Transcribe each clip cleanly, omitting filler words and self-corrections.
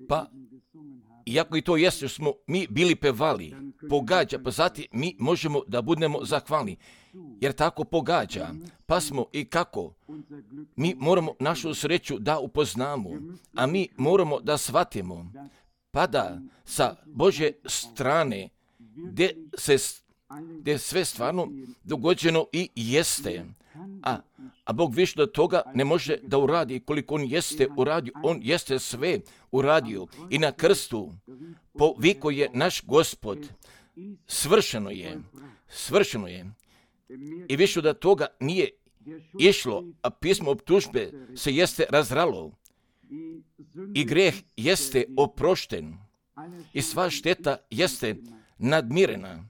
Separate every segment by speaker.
Speaker 1: Pa, iako i to jeste što smo mi bili pevali, pogađa, pa zatim mi možemo da budemo zahvalni, jer tako pogađa, pa smo i kako. Mi moramo našu sreću da upoznamo, a mi moramo da shvatimo, pa da sa Božje strane, gdje sve stvarno dogođeno i jeste, a Bog više do toga ne može da uradi. Koliko On jeste uradio, On jeste sve uradio. I na krstu poviko je naš Gospod. Svršeno je. I više do toga nije išlo, a pismo optužbe se jeste razralo. I greh jeste oprošten. I sva šteta jeste nadmirena.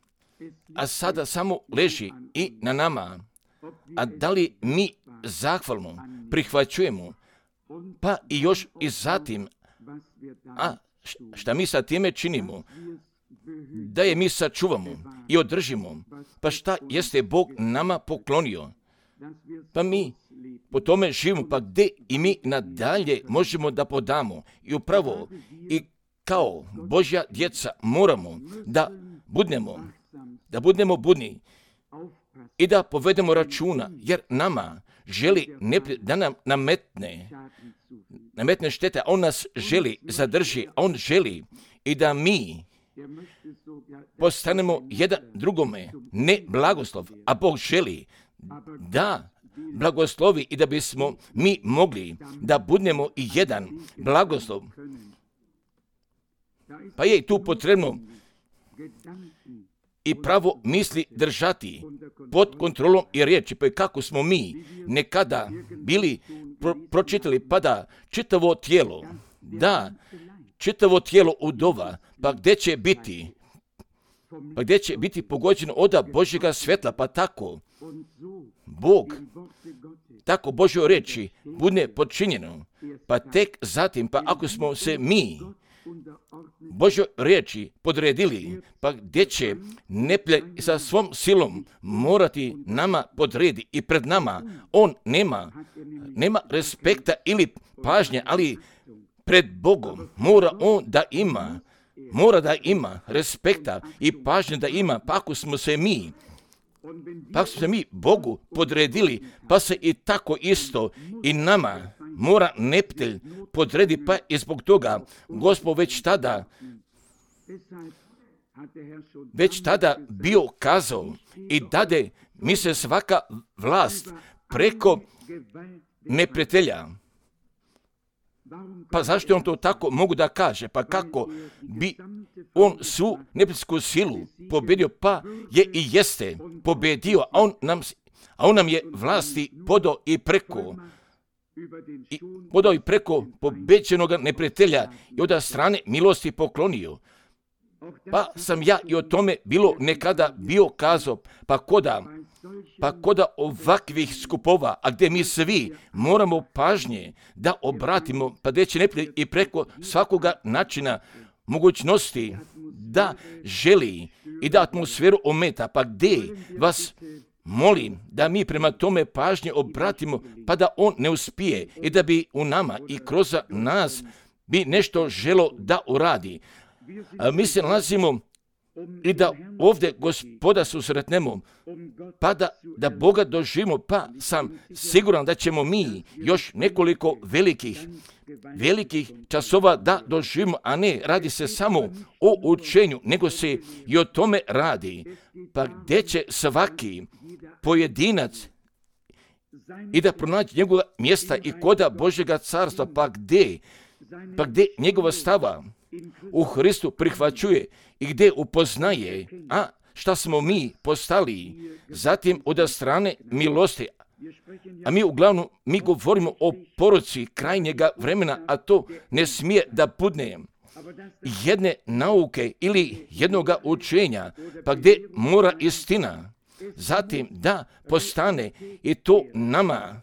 Speaker 1: A sada samo leži i na nama. A da li mi zahvalno prihvaćujemo, pa i još i zatim, šta mi sa time činimo, da je mi sačuvamo i održimo, pa šta jeste Bog nama poklonio, pa mi po tome živimo, pa gdje i mi nadalje možemo da podamo. I upravo i kao Božja djeca moramo da budemo budni i da povedemo računa, jer nama želi da nam nametne štete, a On nas želi zadrži, a On želi i da mi postanemo jedan drugome, ne blagoslov, a Bog želi da blagoslovi i da bismo mi mogli da budemo i jedan blagoslov. Pa je i tu potrebno i pravo misli držati pod kontrolom i riječi, pa kako smo mi nekada bili pročitali, pa da čitavo tijelo udova, pa gdje će biti pogođeno od Božjega svjetla, pa tako Bog, tako Božjoj riječi bude počinjeno, pa tek zatim, pa ako smo se mi Božjoj riječi podredili, pa gdje će neprijatelj sa svom silom morati nama podredi i pred nama on nema respekta ili pažnje, ali pred Bogom mora da ima respekta i pažnje da ima, pa ako smo se mi Bogu podredili, pa se i tako isto i nama mora neprijatelj podredi, pa i zbog toga Gospod već tada bio kazao i dade mi se svaka vlast preko neprijatelja. Pa zašto on to tako mogu da kaže? Pa kako bi on svu neprijateljsku silu pobjedio, pa je i jeste pobjedio, a on nam je vlasti podao i preko pobeđenog neprijatelja i od strane milosti poklonio. Pa sam ja i o tome bilo nekada bio kazao, pa koda ovakvih skupova, a gdje mi svi moramo pažnje da obratimo, pa gdje će neprijatelj i preko svakoga načina mogućnosti da želi i da atmosferu ometa, pa gdje vas molim da mi prema tome pažnje obratimo, pa da on ne uspije i da bi u nama i kroz nas bi nešto želo da uradi. Mi se nalazimo i da ovdje Gospoda susretnemo, pa da Boga doživimo, pa sam siguran da ćemo mi još nekoliko velikih časova da doživimo, a ne radi se samo o učenju, nego se i o tome radi. Pa gdje će svaki pojedinac i da pronaći njegova mjesta i koda Božjega carstva, pa gdje njegova stava u Hristu prihvaćuje i gdje upoznaje, a šta smo mi postali, zatim od strane milosti. A mi govorimo o poruci krajnjega vremena, a to ne smije da bude jedne nauke ili jednoga učenja, pa gdje mora istina, zatim da postane i to nama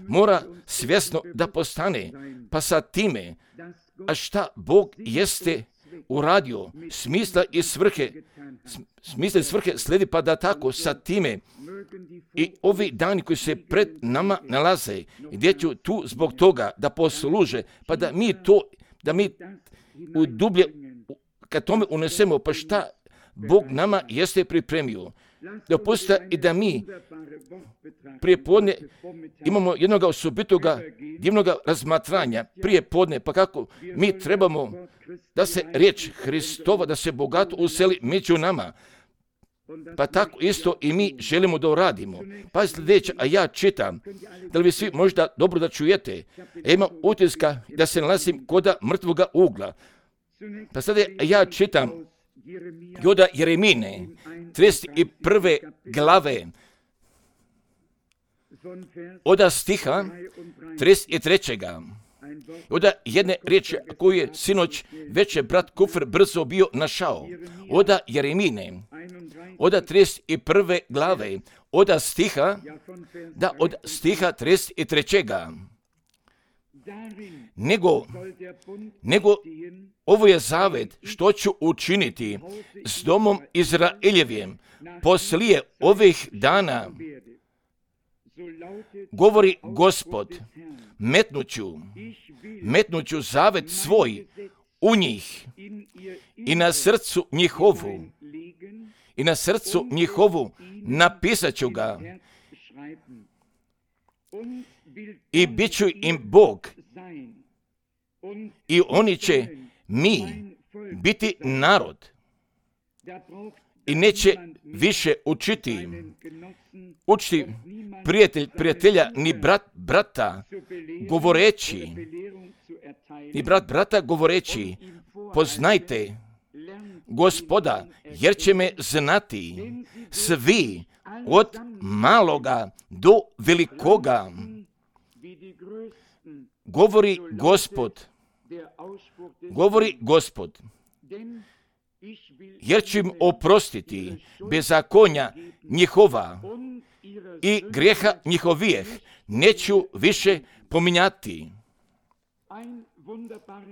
Speaker 1: mora svjesno da postane, pa sa time, a šta Bog jeste uradio, smisla i svrhe slijedi, pa da tako sa time I ovi dani koji se pred nama nalaze, gdje ću tu zbog toga da posluže, pa da mi u dublje, kad tome unesemo, pa šta Bog nama jeste pripremio. Dopustite i da mi prije podne imamo jednog osobitoga divnog razmatranja prije podne, pa kako mi trebamo da se riječ Hristova, da se bogato useli među nama. Pa tako isto i mi želimo da uradimo. Pa sljedeće, a ja čitam, da li vi svi možda dobro da čujete, imam utiska da se nalazim koda mrtvoga ugla. Pa sada ja čitam od Jeremine, 31. glave, od stiha 33. Od jedne riječi koju je sinoć već je brat Kufr brzo bio našao. Od Jeremine, od 31. glave, od stiha 33. Nego ovo je zavet što ću učiniti s domom Izraeljevim poslije ovih dana, govori Gospod, metnuću zavet svoj u njih i na srcu njihovu napisat ću ga i bit ću im Bog i oni će mi biti narod i neće više učiti prijatelja ni brata govoreći, poznajte Gospoda, jer će me znati svi od maloga do velikoga, govori Gospod, jer ću im oprostiti bezakonja njihova i grijeha njihovijeh neću više pominjati.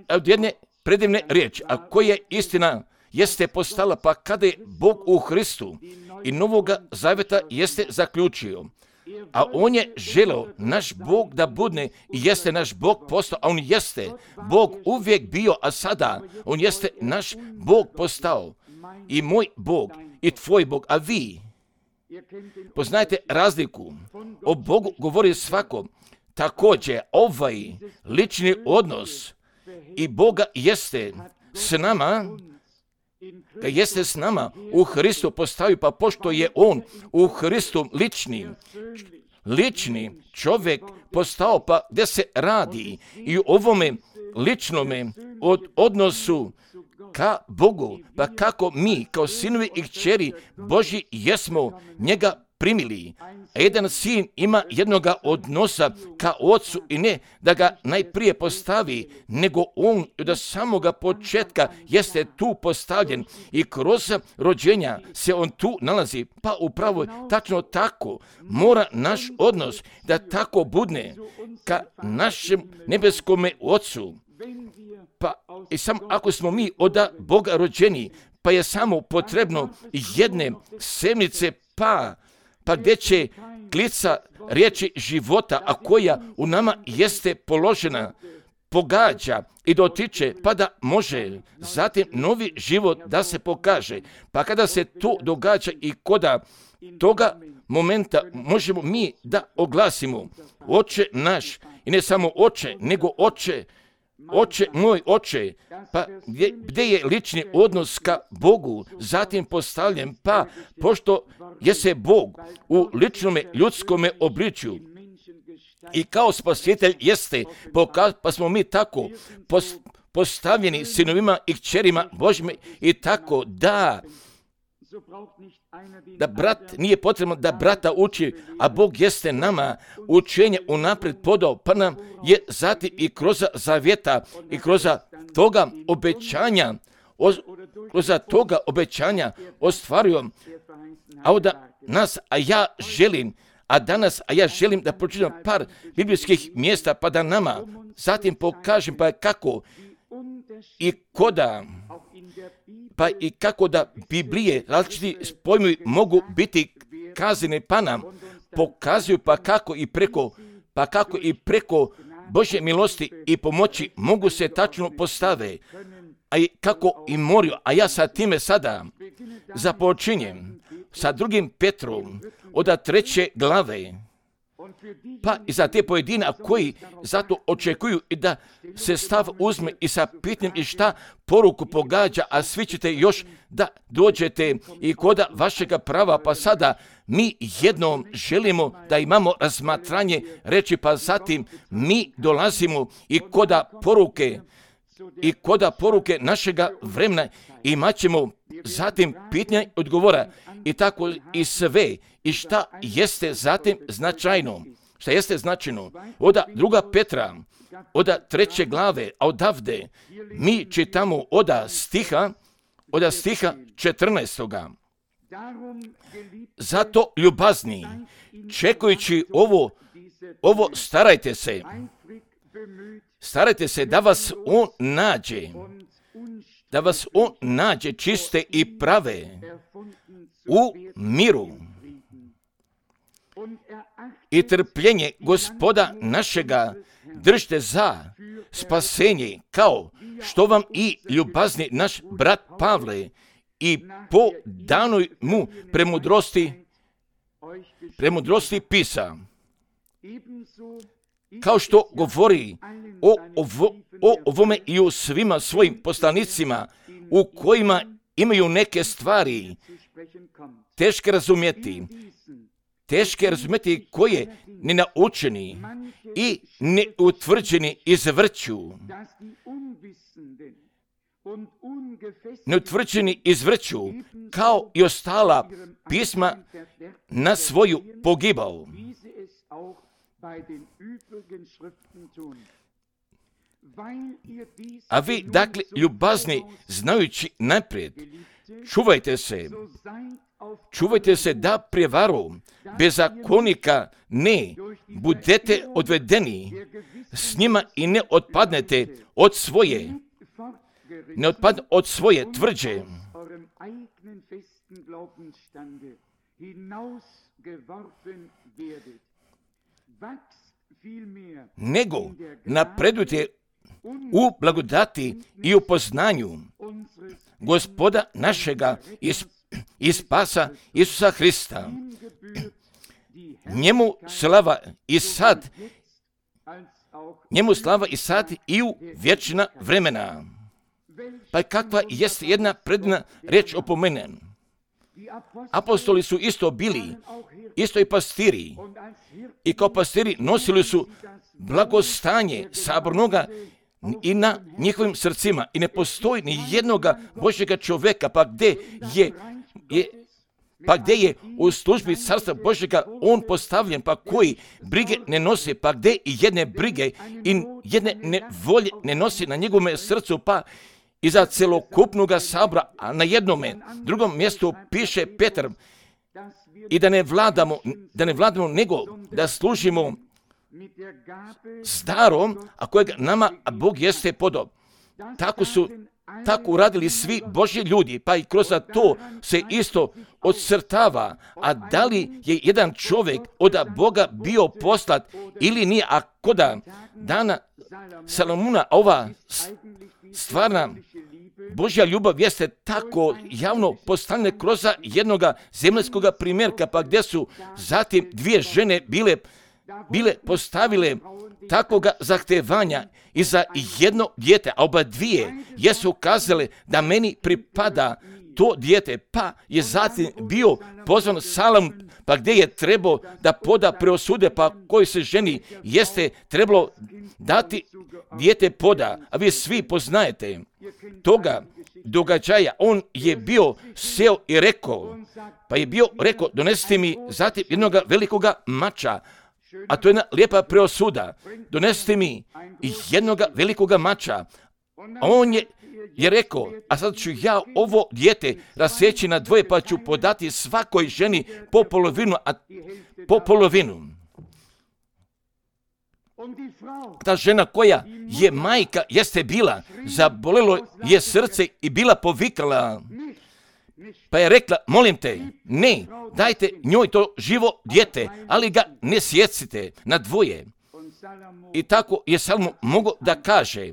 Speaker 1: Od jedne predivne riječi, a koja istina jeste postala, pa kada je Bog u Hristu i Novoga zaveta jeste zaključio, a on je želeo naš Bog da budne i jeste naš Bog postao, a on jeste Bog uvijek bio, a sada on jeste naš Bog postao i moj Bog i tvoj Bog, a vi poznajte razliku. O Bogu govori svako. Također ovaj lični odnos i Boga jeste s nama u Hristu postavio, pa pošto je on u Hristu lični čovjek postao, pa gdje se radi i u ovome ličnome odnosu ka Bogu, pa kako mi kao sinovi i kćeri Božji jesmo njega primili. A jedan sin ima jednoga odnosa ka ocu i ne da ga najprije postavi, nego on od samoga početka jeste tu postavljen i kroz rođenja se on tu nalazi. Pa upravo tačno tako mora naš odnos da tako budne ka našem nebeskome ocu. Pa i samo ako smo mi od Boga rođeni, pa je samo potrebno jedne semnice pa gdje će klica riječi života, a koja u nama jeste položena, pogađa i dotiče, pa da može zatim novi život da se pokaže. Pa kada se to događa i koda toga momenta možemo mi da oglasimo: Oče naš, i ne samo Oče, nego Oče, moj Oče. Pa gdje je lični odnos ka Bogu zatim postavljen, pa pošto je se Bog u ličnome ljudskome obličju i kao spasitelj jeste, pa smo mi tako postavljeni sinovima i kćerima Božjima i tako da brat nije potrebno da brata uči, a Bog jeste nama učenje unaprijed podao, pa nam je zatim i kroz zavjeta i kroz toga obećanja ostvario. A onda danas ja želim da pročitam par biblijskih mjesta, pa da nama zatim pokažem pa kako i koda, pa i kako da Biblije različiti pojmovi mogu biti prikazane, pa nam pokazuju pa kako i preko Božje milosti i pomoći mogu se tačno postave, a i kako i moraju. A ja sa time sada započinjem sa 2. Petrom od 3. glave, pa i za te pojedina koji zato očekuju i da se stav uzme i sa pitanjem i šta poruku pogađa, a svi ćete još da dođete i koda vašega prava, pa sada mi jednom želimo da imamo razmatranje reći, pa zatim mi dolazimo i koda poruke našega vremena imat ćemo zatim pitanja i odgovora i tako i sve i šta jeste zatim značajno. Šta jeste značajno? Od 2. Petra, od 3. glave, a odavde mi čitamo od stiha 14. Zato ljubazni, čekajući ovo starajte se da vas on nađe čiste i prave u miru i trpljenje Gospoda našega držite za spasenje, kao što vam i ljubazni naš brat Pavle i po danoj mu premudrosti pisa, kao što govori o ovome i o svima svojim poslanicima, u kojima imaju neke stvari teške razumjeti, koje nenaučeni i neutvrđeni izvrću, kao i ostala pisma na svoju pogibao. A vi, dakle, ljubazni, znajući naprijed, čuvajte se da prijevaru bezakonika ne budete odvedeni s njima i ne otpadnete od svoje tvrđe. Nego napredujte u blagodati i u poznanju Gospoda našega i spasa Isusa Hrista. Njemu slava i sad i u vječna vremena. Pa kakva jest jedna predivna riječ opomenena. Apostoli su isto bili, isto i pastiri. I kao pastiri nosili su blagostanje sabornoga i na njihovim srcima. I ne postoji ni jednoga Božjega čovjeka, pa gdje je u službi carstva Božjega on postavljen, pa koji brige ne nosi, pa gdje i jedne brige i jedne nevolje ne nosi na njegovom srcu, pa i za celokupnoga sabora, a na drugom mjestu piše Petar, i da ne vladamo, nego da služimo s darom, a kojeg nama Bog jeste podob. Tako uradili svi Božji ljudi, pa i kroz to se isto odcrtava. A da li je jedan čovjek od Boga bio poslat ili nije, a koda dana Salomuna ova stvarna Božja ljubav jeste tako javno postavljena kroz jednoga zemaljskog primjerka, pa gdje su zatim dvije žene bile postavile takvoga zahtevanja i za jedno dijete, a oba dvije jesu kazale da meni pripada to dijete, pa je zatim bio pozvan Salom, pa gdje je trebao da poda preosude, pa koji se ženi jeste trebalo dati dijete poda, a vi svi poznajete toga događaja. On je bio seo i rekao, donesite mi zatim jednoga velikoga mača, a to je jedna lijepa preosuda, donesite mi jednoga velikoga mača. A on je rekao, a sad ću ja ovo dijete raseći na dvoje, pa ću podati svakoj ženi po polovinu. Ta žena koja je majka jeste bila, zabolelo je srce i bila povikala, Pa je rekla, molim te, ne, dajte njoj to živo dijete, ali ga ne sjecite na dvoje. I tako je Salomo mogao da kaže.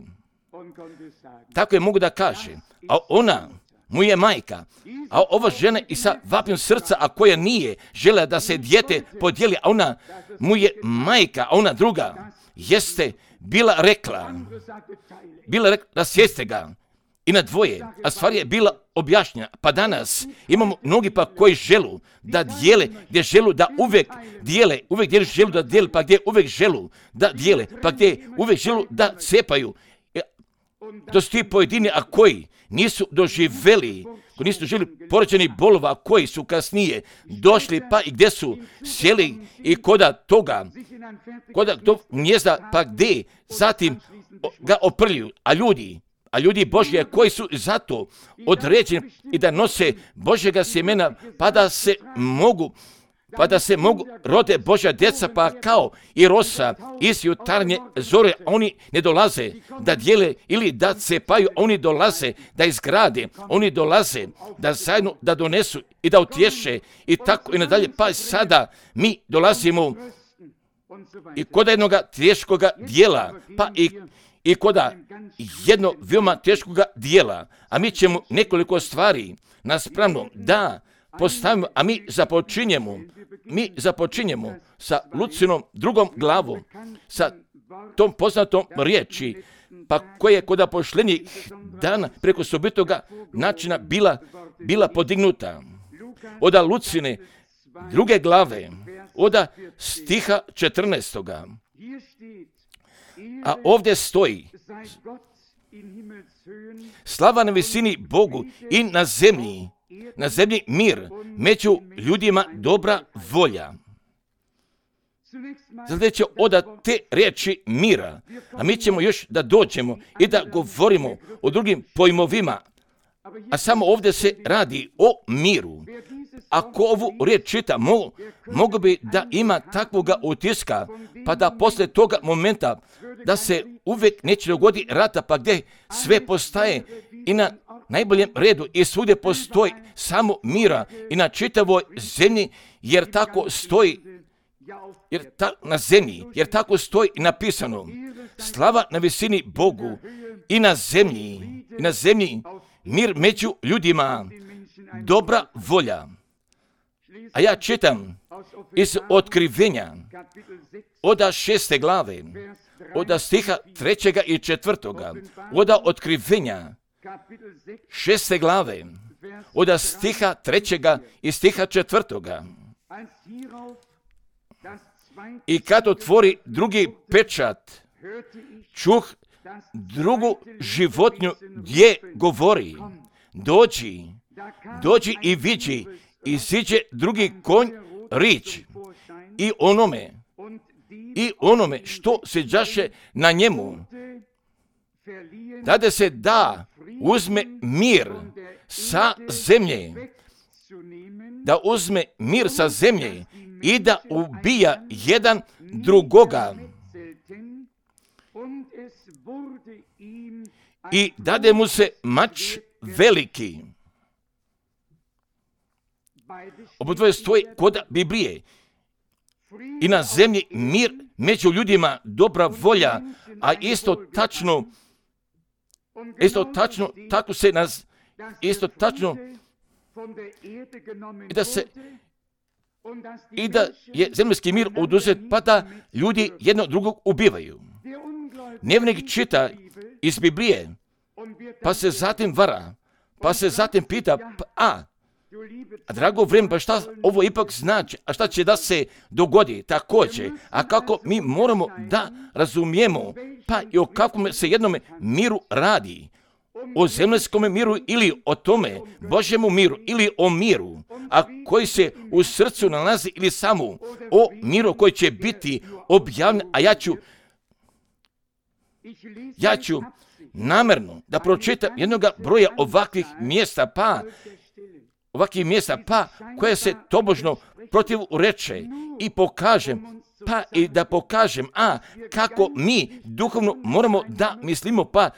Speaker 1: Tako je mogu da kaže. A ona mu je majka. A ova žena i sa vapnjom srca, a koja nije žela da se dijete podijeli, a ona mu je majka, a ona druga jeste bila rekla da sjeste ga i na dvoje, a stvar je bila objašnjena. Pa danas imamo mnogi pa koji želu da dijele, gdje želu da uvijek dijele, želu da dijele, pa gdje uvijek želu da dijele, pa gdje uvijek želu da cepaju. To su ti pojedini, a koji nisu doživjeli poređenih bolova, a koji su kasnije došli, pa i gdje su sjeli i koda tog gnjezda, pa gdje zatim ga oprljuju. A ljudi Božje koji su zato određeni i da nose Božjega sjemena, pa da se mogu rode Božja djeca, pa kao i rosa iz jutarnje zore, oni ne dolaze da dijele ili da cepaju, oni dolaze da izgrade, oni dolaze da zajedno da donesu i da utješe i tako i nadalje. Pa sada mi dolazimo i kod jednog teškoga dijela, pa i kod jednog veoma teškoga dijela, a mi ćemo nekoliko stvari naspravno da postavimo, a mi započinjemo sa Lucinom drugom glavom, sa tom poznatom riječi, pa koja je kod apoštenskih dana preko sobitoga načina bila podignuta. Oda Lucine druge glave, oda stiha 14. A ovdje stoji: slava na visini Bogu i na zemlji mir, među ljudima dobra volja. Sljedeće oda te riječi mira, a mi ćemo još da dođemo i da govorimo o drugim pojmovima, a samo ovdje se radi o miru. Ako ovu riječ čita, mogu bi da ima takvoga utiska, pa da poslije toga momenta da se uvijek neće dogodi rata, pa gdje sve postaje i na najboljem redu i svugdje postoji samo mira i na čitavoj zemlji, jer tako stoji na zemlji, jer tako stoji i napisano: slava na visini Bogu i na zemlji mir među ljudima, dobra volja. A ja čitam iz Otkrivenja, oda 6. glave, oda stiha 3. i 4. Oda Otkrivenja 6. glave, oda stiha 3. i stiha 4. I kad otvori drugi pečat, čuh drugu životinju gdje govori: dođi i vidi. Iziđe drugi konj rič i onome što siđaše na njemu, dade se da uzme mir sa zemlje, i da ubija jedan drugoga. I dade mu se mač veliki. Obodvoje stoji kod Biblije. I na zemlji mir, među ljudima dobra volja, a isto tačno, tako se nas, isto tačno, i da je zemljski mir oduzet, pa da ljudi jedno drugog ubivaju. Nevjernik čita iz Biblije, pa se zatim vara, pa se zatim pita, a drago vrijeme, pa šta ovo ipak znači, a šta će da se dogodi također, a kako mi moramo da razumijemo, pa i o kakvom se jednome miru radi, o zemljskom miru ili o tome Božjemu miru ili o miru, a koji se u srcu nalazi, ili samo o miru koji će biti objavljen. A ja ću namjerno da pročitam jednog broja ovakvih mjesta, pa koje se tobožno protiv reče i pokažem, kako mi duhovno moramo da mislimo, pa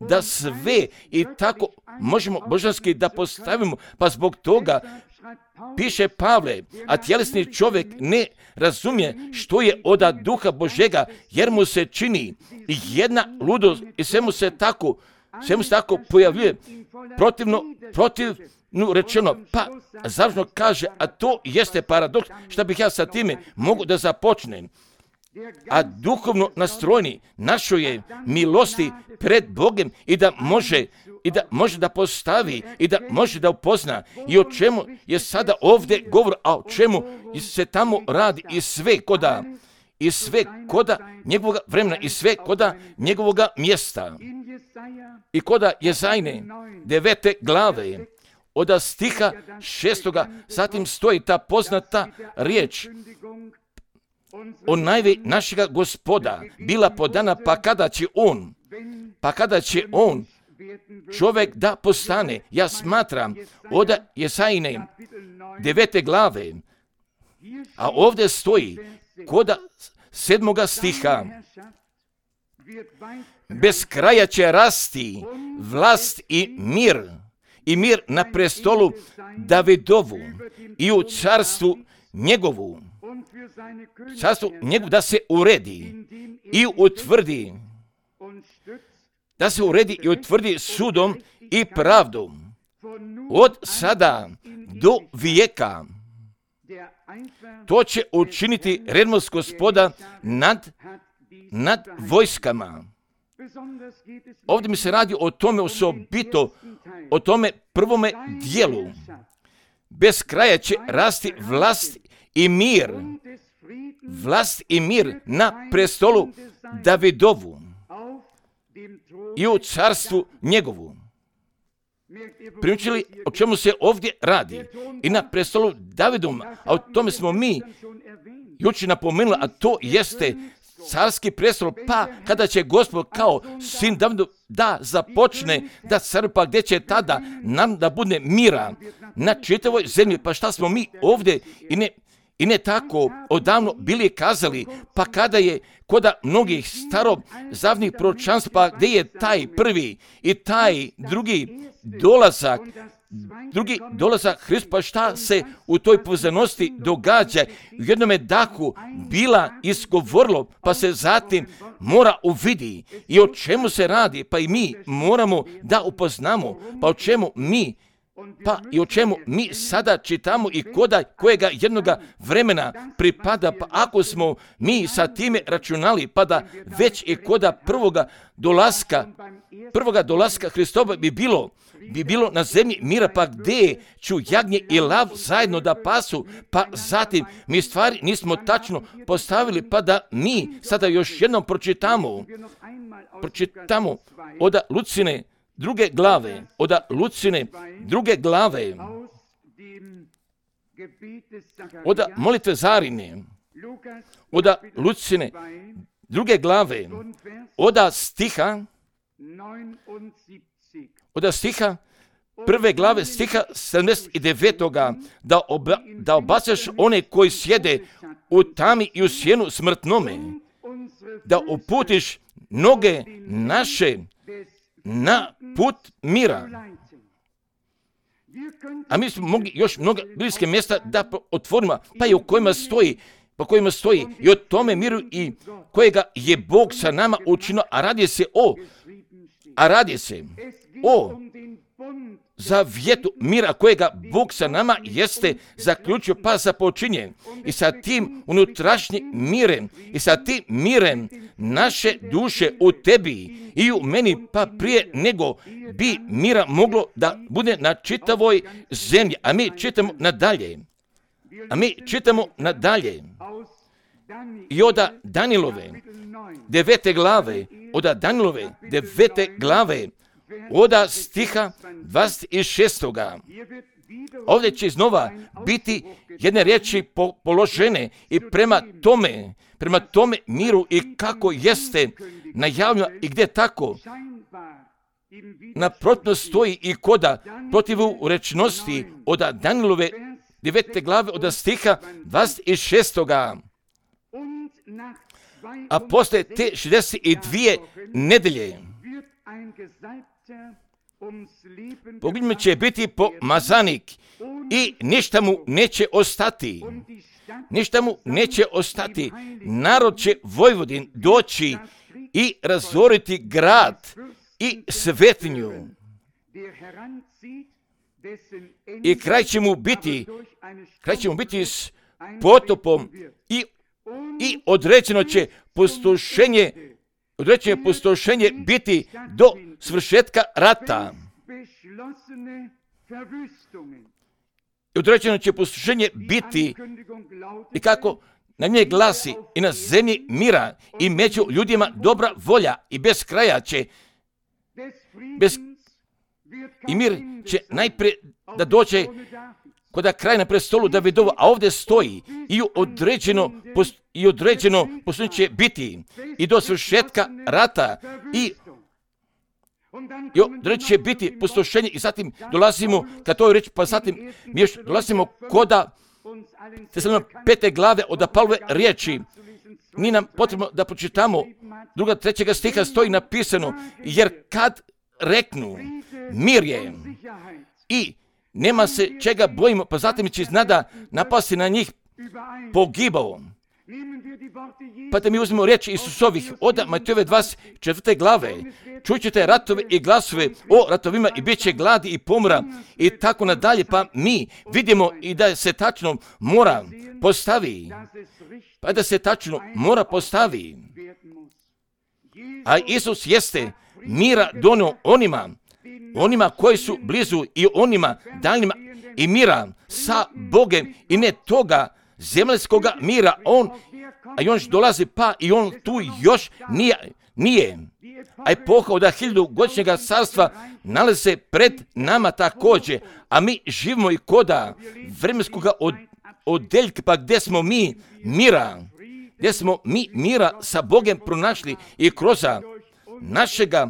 Speaker 1: da sve i tako možemo božanski da postavimo, pa zbog toga piše Pavle, a tjelesni čovjek ne razumije što je od duha Božega, jer mu se čini jedna ludost i sve mu se tako pojavljuje protivno rečeno, pa završno kaže, a to jeste paradoks, što bih ja sa time mogu da započnem. A duhovno nastrojeni našoj je milosti pred Bogom i da može da postavi i da može da upozna i o čemu je sada ovdje govor, a o čemu se tamo radi i sve koda njegovog vremena i sve koda njegovog mjesta. I koda Jezajne 9. glave od stiha 6. zatim stoji ta poznata riječ o najvi našega Gospoda bila podana, pa kada će on čovjek da postane. Ja smatram od Jezajne 9. glave, a ovdje stoji koda 7. stiha, bez kraja će rasti vlast i mir na prestolu Davidovu i u carstvu njegovu da se uredi i utvrdi, sudom i pravdom od sada do vijeka. To će učiniti rednost Gospoda nad vojskama. Ovdje mi se radi o tome osobito, o tome prvome dijelu. Bez kraja će rasti vlast i mir na prestolu Davidovu i u carstvu njegovu. Primijetili o čemu se ovdje radi? I na prestolu Davidovom, a o tome smo mi jučer napomenuli, a to jeste carski prestol, pa kada će Gospod kao sin Davidu da započne da caruje, pa gdje će tada nam da bude mira na čitavoj zemlji, pa šta smo mi ovdje i ne tako odavno bili kazali, pa kada je koda mnogih starozavnih proročanstva, pa gdje je taj prvi i taj drugi dolazak Hrista, pa šta se u toj povezanosti događa, u jednome dahu bila izgovorilo, pa se zatim mora uvidi i o čemu se radi, pa i mi moramo da upoznamo, pa o čemu mi sada čitamo i kojega jednoga vremena pripada, pa ako smo mi sa time računali, pa da već i koda prvoga dolaska Hristova bi bilo na zemlji mira, pa gdje ću jagnje i lav zajedno da pasu, pa zatim mi stvari nismo tačno postavili, pa da mi sada još jednom pročitamo od Lucine druge glave, od molitve Zarine, od Lucine druge glave, od stiha prve glave, stiha 79. da obacaš one koji sjede u tami i u sjenu smrtnome, da uputiš noge naše na put mira. A mi smo mogli još mnoga bliske mjesta da otvorimo, pa i u kojima stoji i o tome miru i kojega je Bog sa nama učinio, a radi se o zavjetu mira kojega Bog sa nama jeste zaključio, pa započinje i sa tim unutrašnjim mirem i sa tim mirem naše duše u tebi i u meni, pa prije nego bi mira moglo da bude na čitavoj zemlji. A mi čitamo nadalje i od Danilove 9. glave, od stiha 26. Ovdje će iznova biti jedne riječi položene i prema tome miru i kako jeste najavljeno i gdje tako naprotno stoji i koda protivu rečnosti od Danilove 9. glave od stiha 26. A posle te 62 nedelje Pogled mu će biti pomazanik i ništa mu neće ostati. Ništa mu neće ostati. Narod će Vojvodin doći i razoriti grad i svetinju. I kraj će mu biti s potopom i određeno će pustošenje biti do svršetka rata. I određeno će pustošenje biti i kako na nje glasi i na zemlji mira i među ljudima dobra volja i bez kraja će i mir će najprije da dođe kod kraj na prestolu Davidovu, a ovdje stoji i određeno pustošenje će biti i do svršetka rata i određeno će biti pustošenje i zatim dolazimo, kad to je reći, pa zatim mi još dolazimo koda Tesalonike 5. glave od Pavlove riječi. Nije nam potrebno da pročitamo 2. 3. stiha stoji napisano, jer kad reknu mir je i nema se čega bojimo, pa zatim će iznada napasti na njih pogibao. Pa da mi uzmemo riječi Isusovih od Matejove 24. glave. Čućete ratove i glasove o ratovima i bit će gladi i pomora i tako nadalje. Pa mi vidimo i da se tačno mora postavi. A Isus jeste mira donio onima koji su blizu i onima daljnjima i mira sa Bogem i ne toga zemaljskoga mira. On još dolazi pa i on tu još nije. A epoha od 1000-godišnjega carstva nalazi se pred nama također, a mi živimo i koda vremenskoga odeljka, pa gdje smo mi mira sa Bogem pronašli i kroz našega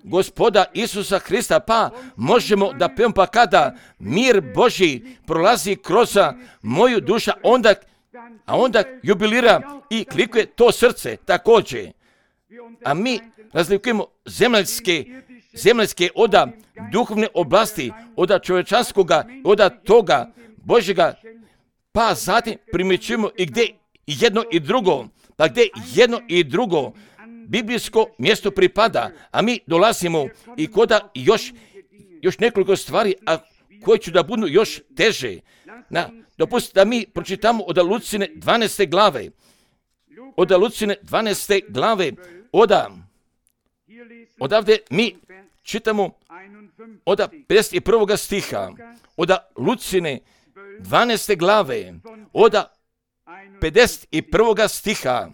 Speaker 1: Gospoda Isusa Hrista, pa možemo da pevamo, pa kada mir Božji prolazi kroz moju dušu, onda jubilira i klikuje to srce također. A mi razlikujemo zemaljske od duhovne oblasti, od čovječanskoga, od toga Božjega, pa zatim primjećujemo i gdje jedno i drugo biblijsko mjesto pripada, a mi dolazimo i koda još nekoliko stvari, a koje ću da budu još teže. Dopustite da mi pročitamo od Lucine 12. glave. Odavde mi čitamo od 51. stiha. Od Lucine 12. glave. Od 51. stiha.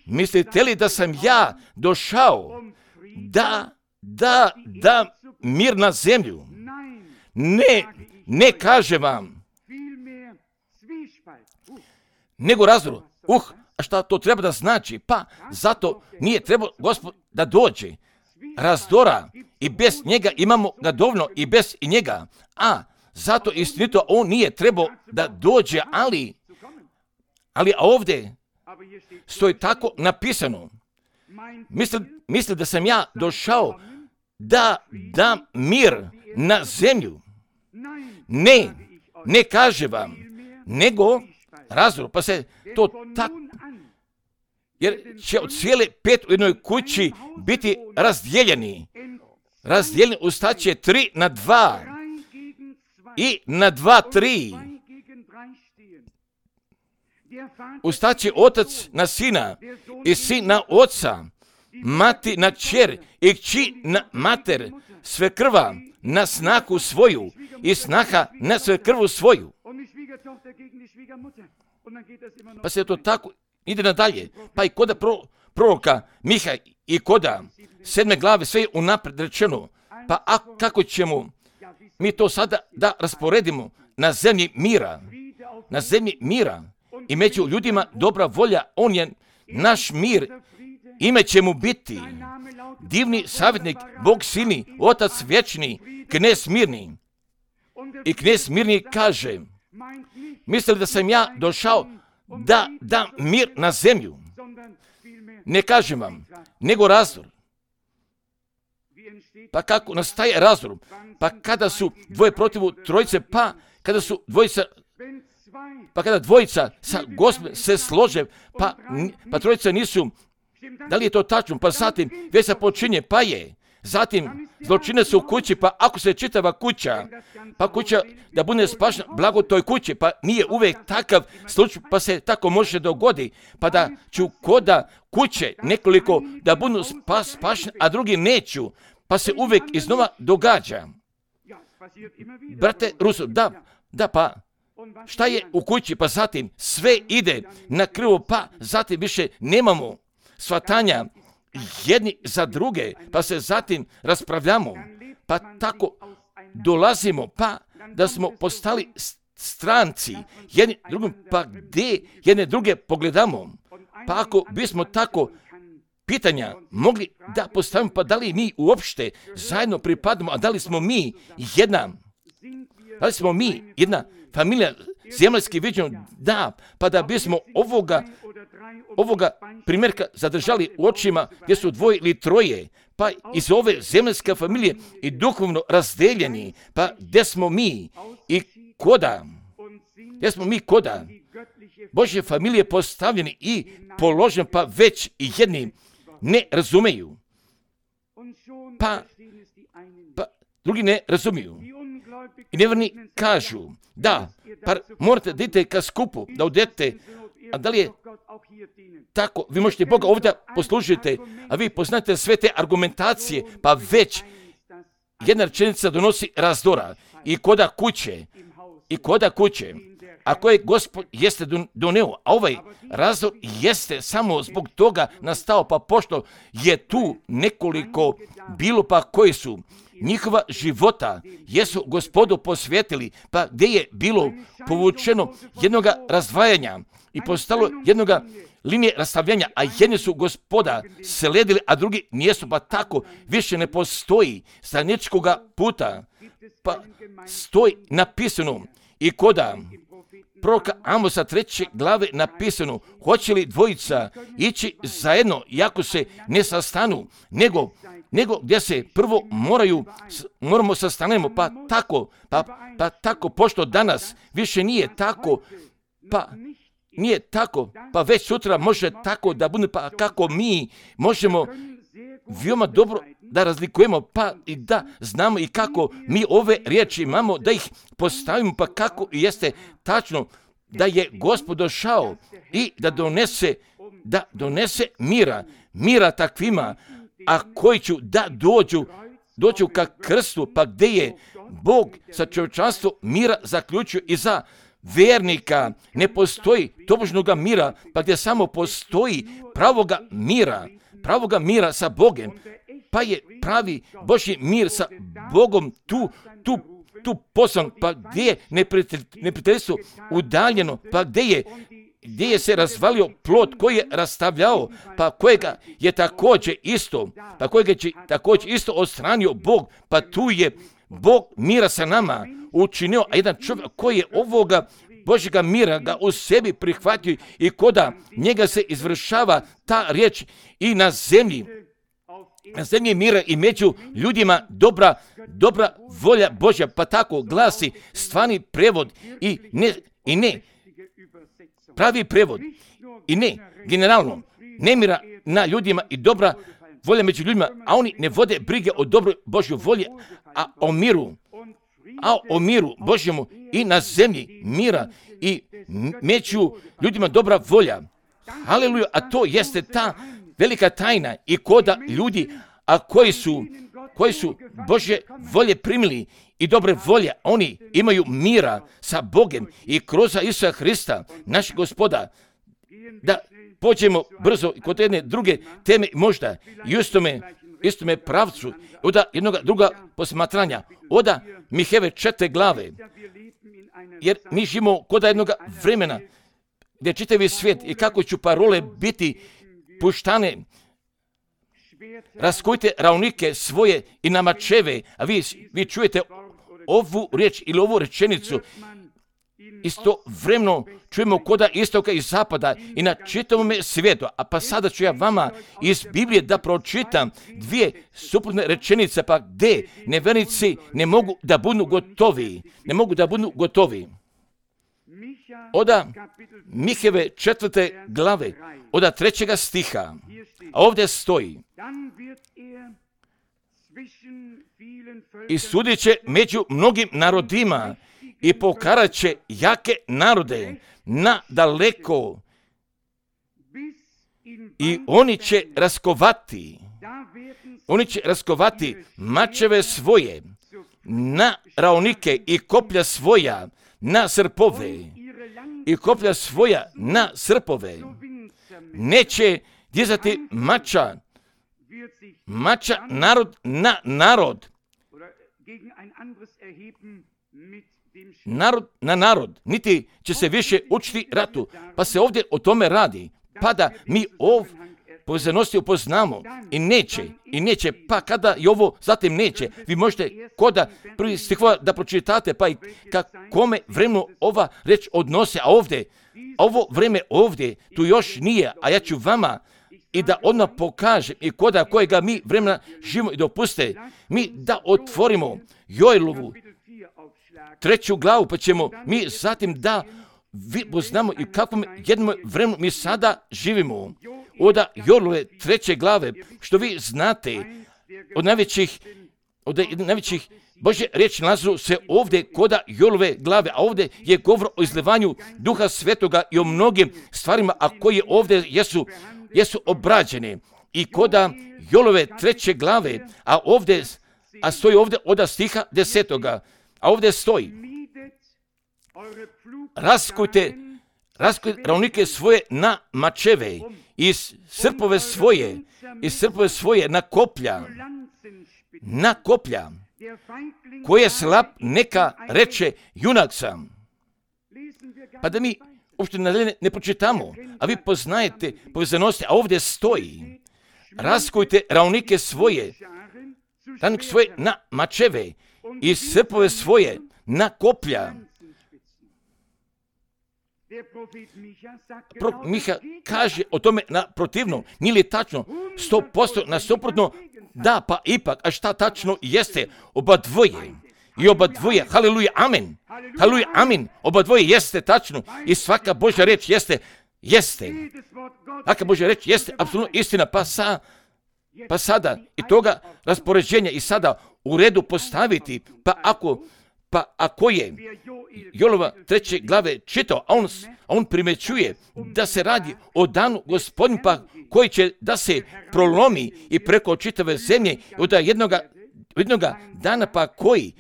Speaker 1: Mislite li da sam ja došao da mir na zemlju? Ne kaže vam, nego razdor. A šta to treba da znači? Pa zato nije trebao Gospod da dođe. Razdora i bez njega imamo ga dovoljno i bez i njega. A zato istinito on nije trebao da dođe, ali ovdje stoji tako napisano. Misli da sam ja došao da dam mir na zemlju? Ne kaže vam, nego razdor, pa se to tako, jer će od cijele 5 u jednoj kući biti razdijeljeni ustaće 3 na 2 i na 2 3. Ustaće otac na sina i sin na oca, mati na kćer i kći na mater, svekrva na snahu svoju i snaha na svekrvu svoju. Pa se to tako ide nadalje. Pa i koda proroka Miha i koda 7. glave sve je unaprijed rečeno. Pa kako ćemo mi to sada da rasporedimo na zemlji mira i među ljudima dobra volja, on je naš mir, ime će mu biti divni savjetnik, Bog silni, Otac vječni, knez mirni. I knez mirni kaže, mislili da sam ja došao da dam mir na zemlju? Ne kažem vam, nego razdor. Pa kako nastaje razdor? Pa kada su dvoje protiv trojice, pa kada dvojica sa Gospodom se slože, pa trojica nisu, da li je to tačno? Pa zatim već se počinje, pa je. Zatim zločine su u kući, pa ako se čitava kuća, pa kuća da bude spašena, blago toj kući, pa nije uvijek takav slučaj, pa se tako može dogodi, pa da ću koda kuće nekoliko da budu spašeni, a drugi neću, pa se uvijek iznova događa. Brate Ruso, da pa, šta je u kući, pa zatim sve ide na krivo, pa zatim više nemamo shvatanja jedni za druge, pa se zatim raspravljamo, pa tako dolazimo, pa da smo postali stranci jedni drugim, pa gdje jedne druge pogledamo, pa ako bismo tako pitanja mogli da postavimo, pa da li mi uopšte zajedno pripadamo, a da li smo mi jedna familija zemaljski viđeno, da, pa da bismo ovoga primjerka zadržali u očima gdje su dvoje ili troje, pa iz ove zemaljske familije i duhovno razdeljeni, pa gdje smo mi i koda Božje familije postavljeni i položeni, pa već i jedni ne razumeju, pa drugi ne razumiju. I nevjerni kažu, da, pa morate da idete ka skupu, da odete, a da li je tako, vi možete Boga ovdje poslužiti, a vi poznate sve te argumentacije, pa već jedna rečenica donosi razdora i koda kuće, a koje Gospod jeste doneo, a ovaj razdor jeste samo zbog toga nastao, pa pošto je tu nekoliko bilo pa koji su njihova života jesu Gospodu posvetili, pa gdje je bilo povučeno jednoga razdvajanja i postalo jednoga linije rastavljanja, a jedni su Gospoda sledili, a drugi nijesu, pa tako više ne postoji straničkoga puta, pa stoji napisano i koda proroka Amosa 3. glave napisano, hoće li dvojica ići zajedno, iako se ne sastanu, nego gdje se prvo moramo sastanemo, pa tako, pošto danas više nije tako, pa već sutra može tako da bude, pa kako mi možemo veoma dobro da razlikujemo, pa i da znamo i kako mi ove riječi imamo, da ih postavimo, pa kako jeste tačno da je Gospod došao i da donese mira takvima, a koji ću da dođu ka krstu, pa gdje je Bog sa čovječanstvom mira zaključio i za vernika ne postoji tobožnoga mira, pa gdje samo postoji pravoga mira sa Bogom, pa je pravi Božji mir sa Bogom tu poslan, pa gdje je neprijateljstvo udaljeno, pa gdje je se razvalio plod koji je rastavljao, pa kojega je također isto odstranio Bog, pa tu je Bog mira sa nama učinio, a jedan čovjek koji je ovoga Božjega mira ga u sebi prihvatio i koda njega se izvršava ta riječ i na zemlji mira i među ljudima dobra volja Božja, pa tako glasi stvarni prevod i ne pravi prevod i ne generalno nemira na ljudima i dobra volja među ljudima, a oni ne vode brige o dobroj Božjoj volji, a o miru Božjemu i na zemlji mira i među ljudima dobra volja. Haleluja, a to jeste ta velika tajna i koda ljudi, a koji su Božje volje primili i dobre volje, oni imaju mira sa Bogom i kroz Isusa Hrista, naš Gospoda. Da pođemo brzo kod jedne druge teme, možda i istome pravcu, od jednog druga posmatranja, od Miheve 4. glave, jer mi živimo kod jednog vremena gdje čitavi svijet i kako ću parole biti puštane, raskujte ravnike svoje i na mačeve, a vi čujete ovu riječ ili ovu rečenicu istovremeno čujemo koda istoka i zapada i na čitavom svijetu. A pa sada ću ja vama iz Biblije da pročitam dvije suprotne rečenice, pa gdje nevjernici ne mogu da budu gotovi. Ne mogu da budu gotovi. Oda Miheve 4. glave, oda 3. stiha. A ovdje stoji: i sudit će među mnogim narodima i pokarat će jake narode na daleko i oni će raskovati mačeve svoje na raunike i koplja svoja na srpove i koplja svoja na srpove. Neće dizati mača narod na narod, narod na narod, niti će se više učiti ratu. Pa se ovdje o tome radi, pa da mi povezanosti upoznamo i neće, pa kada i ovo zatim neće, vi možete koda prvi stihova da pročitate, pa i kome vremenu ova reč odnose, a ovo vreme ovdje tu još nije, a ja ću vama i da odmah pokažem i koda kojega mi vremena živimo i dopuste, mi da otvorimo Joelovu 3. glavu, pa ćemo mi zatim da poznamo i kakvom jednom vremenu mi sada živimo. Oda Joelove 3. glave, što vi znate, od najvećih Božje riječi nalazu se ovdje koda Joelove glave, a ovdje je govor o izlivanju Duha Svetoga i o mnogim stvarima, a koje ovdje jesu obrađene. I koda Joelove 3. glave, a stoji ovdje oda stiha 10. A ovdje stoji: raskujte raunike svoje na mačeve i srpove svoje na koplja, koje slab neka reče junak sam. Pa da mi uopšte ne pročitamo, a vi poznajete povezanosti, a ovdje stoji: raskujte raunike svoje na mačeve i srpove svoje na koplja. Prorok Miha kaže o tome na protivno, nije li tačno 100% na suprotno? Da, pa ipak, a šta tačno jeste? Oba dvoje, haleluja, amen, oba dvoje jeste tačno i svaka Božja reč jeste. Svaka Božja reč jeste apsolutno istina, pa sada i toga raspoređenja i sada u redu postaviti, pa ako je Joelova 3. glave čitao, a on primećuje da se radi o danu Gospodin, pa koji će da se prolomi i preko čitave zemlje od jednoga dana, pa koji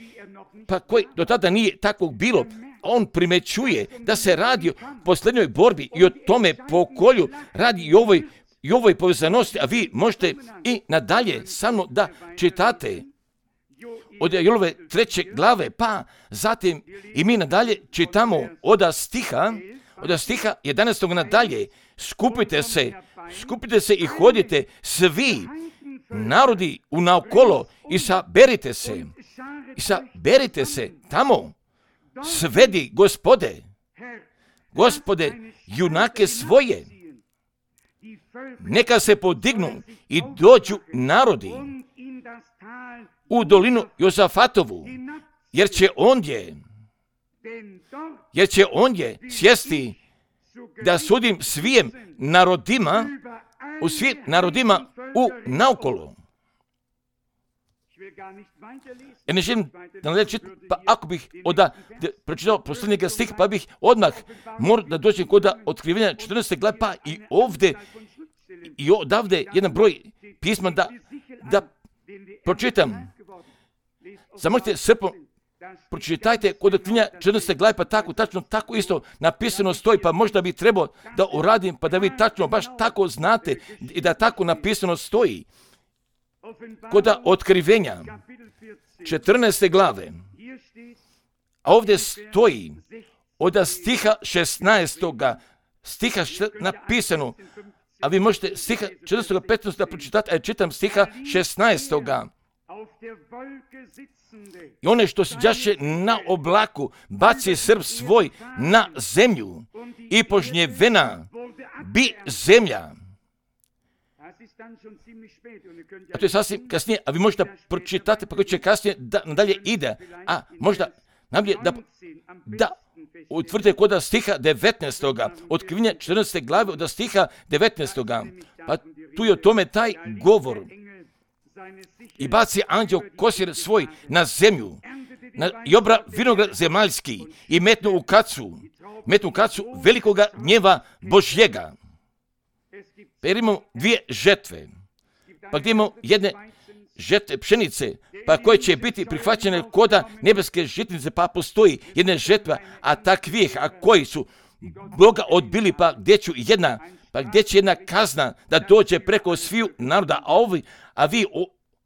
Speaker 1: do tada nije takvog bilo. On primećuje da se radi o posljednjoj borbi i o tome pokolju radi i ovoj povezanosti, a vi možete i nadalje samo da čitate od Joelove 3. glave, pa zatim i mi nadalje čitamo od stiha 11. nadalje: skupite se i hodite svi narodi unaokolo i saberite se tamo, svedi Gospode, junake svoje, neka se podignu i dođu narodi u dolinu Jozafatovu, jer će ondje sjesti da sudim svim narodima u naokolo. Ja ne želim da nadalje čitam, pa ako bih pročitao posljednjega stih, pa bih odmah morao da dođem kod otkrivenja 14. glave, pa i odavde jedan broj pisma da pročitam. Zamolite srpom, pročitajte kod otkrivenja 14. glave, pa tako isto napisano stoji, pa možda bi trebao da uradim, pa da vi tačno baš tako znate i da tako napisano stoji. Kod otkrivenja 14. glave, a ovdje stoji od stiha 16. stiha napisano, a vi možete stiha 14. 15. da pročitate, a ja čitam stiha 16. I one što sjaše na oblaku, baci srp svoj na zemlju i požnjevena bi zemlja. A to je sasvim kasnije, a vi možete pročitati, pa koji će kasnije nadalje ide. A možda namlje da utvrdite kod stiha 19. Otkrivenja 14. glave od stiha 19. Pa tu je o tome taj govor. I baci anđeo kosir svoj na zemlju, i obra vinograd zemaljski i metnu u kacu velikoga gnjeva Božjega. Pa jer imamo dvije žetve, pa gdje imamo jedne žetve pšenice, pa koje će biti prihvaćene koda nebeske žitnice, pa postoji jedna žetva, a takvih, a koji su Boga odbili, pa gdje će jedna kazna da dođe preko sviju naroda, a vi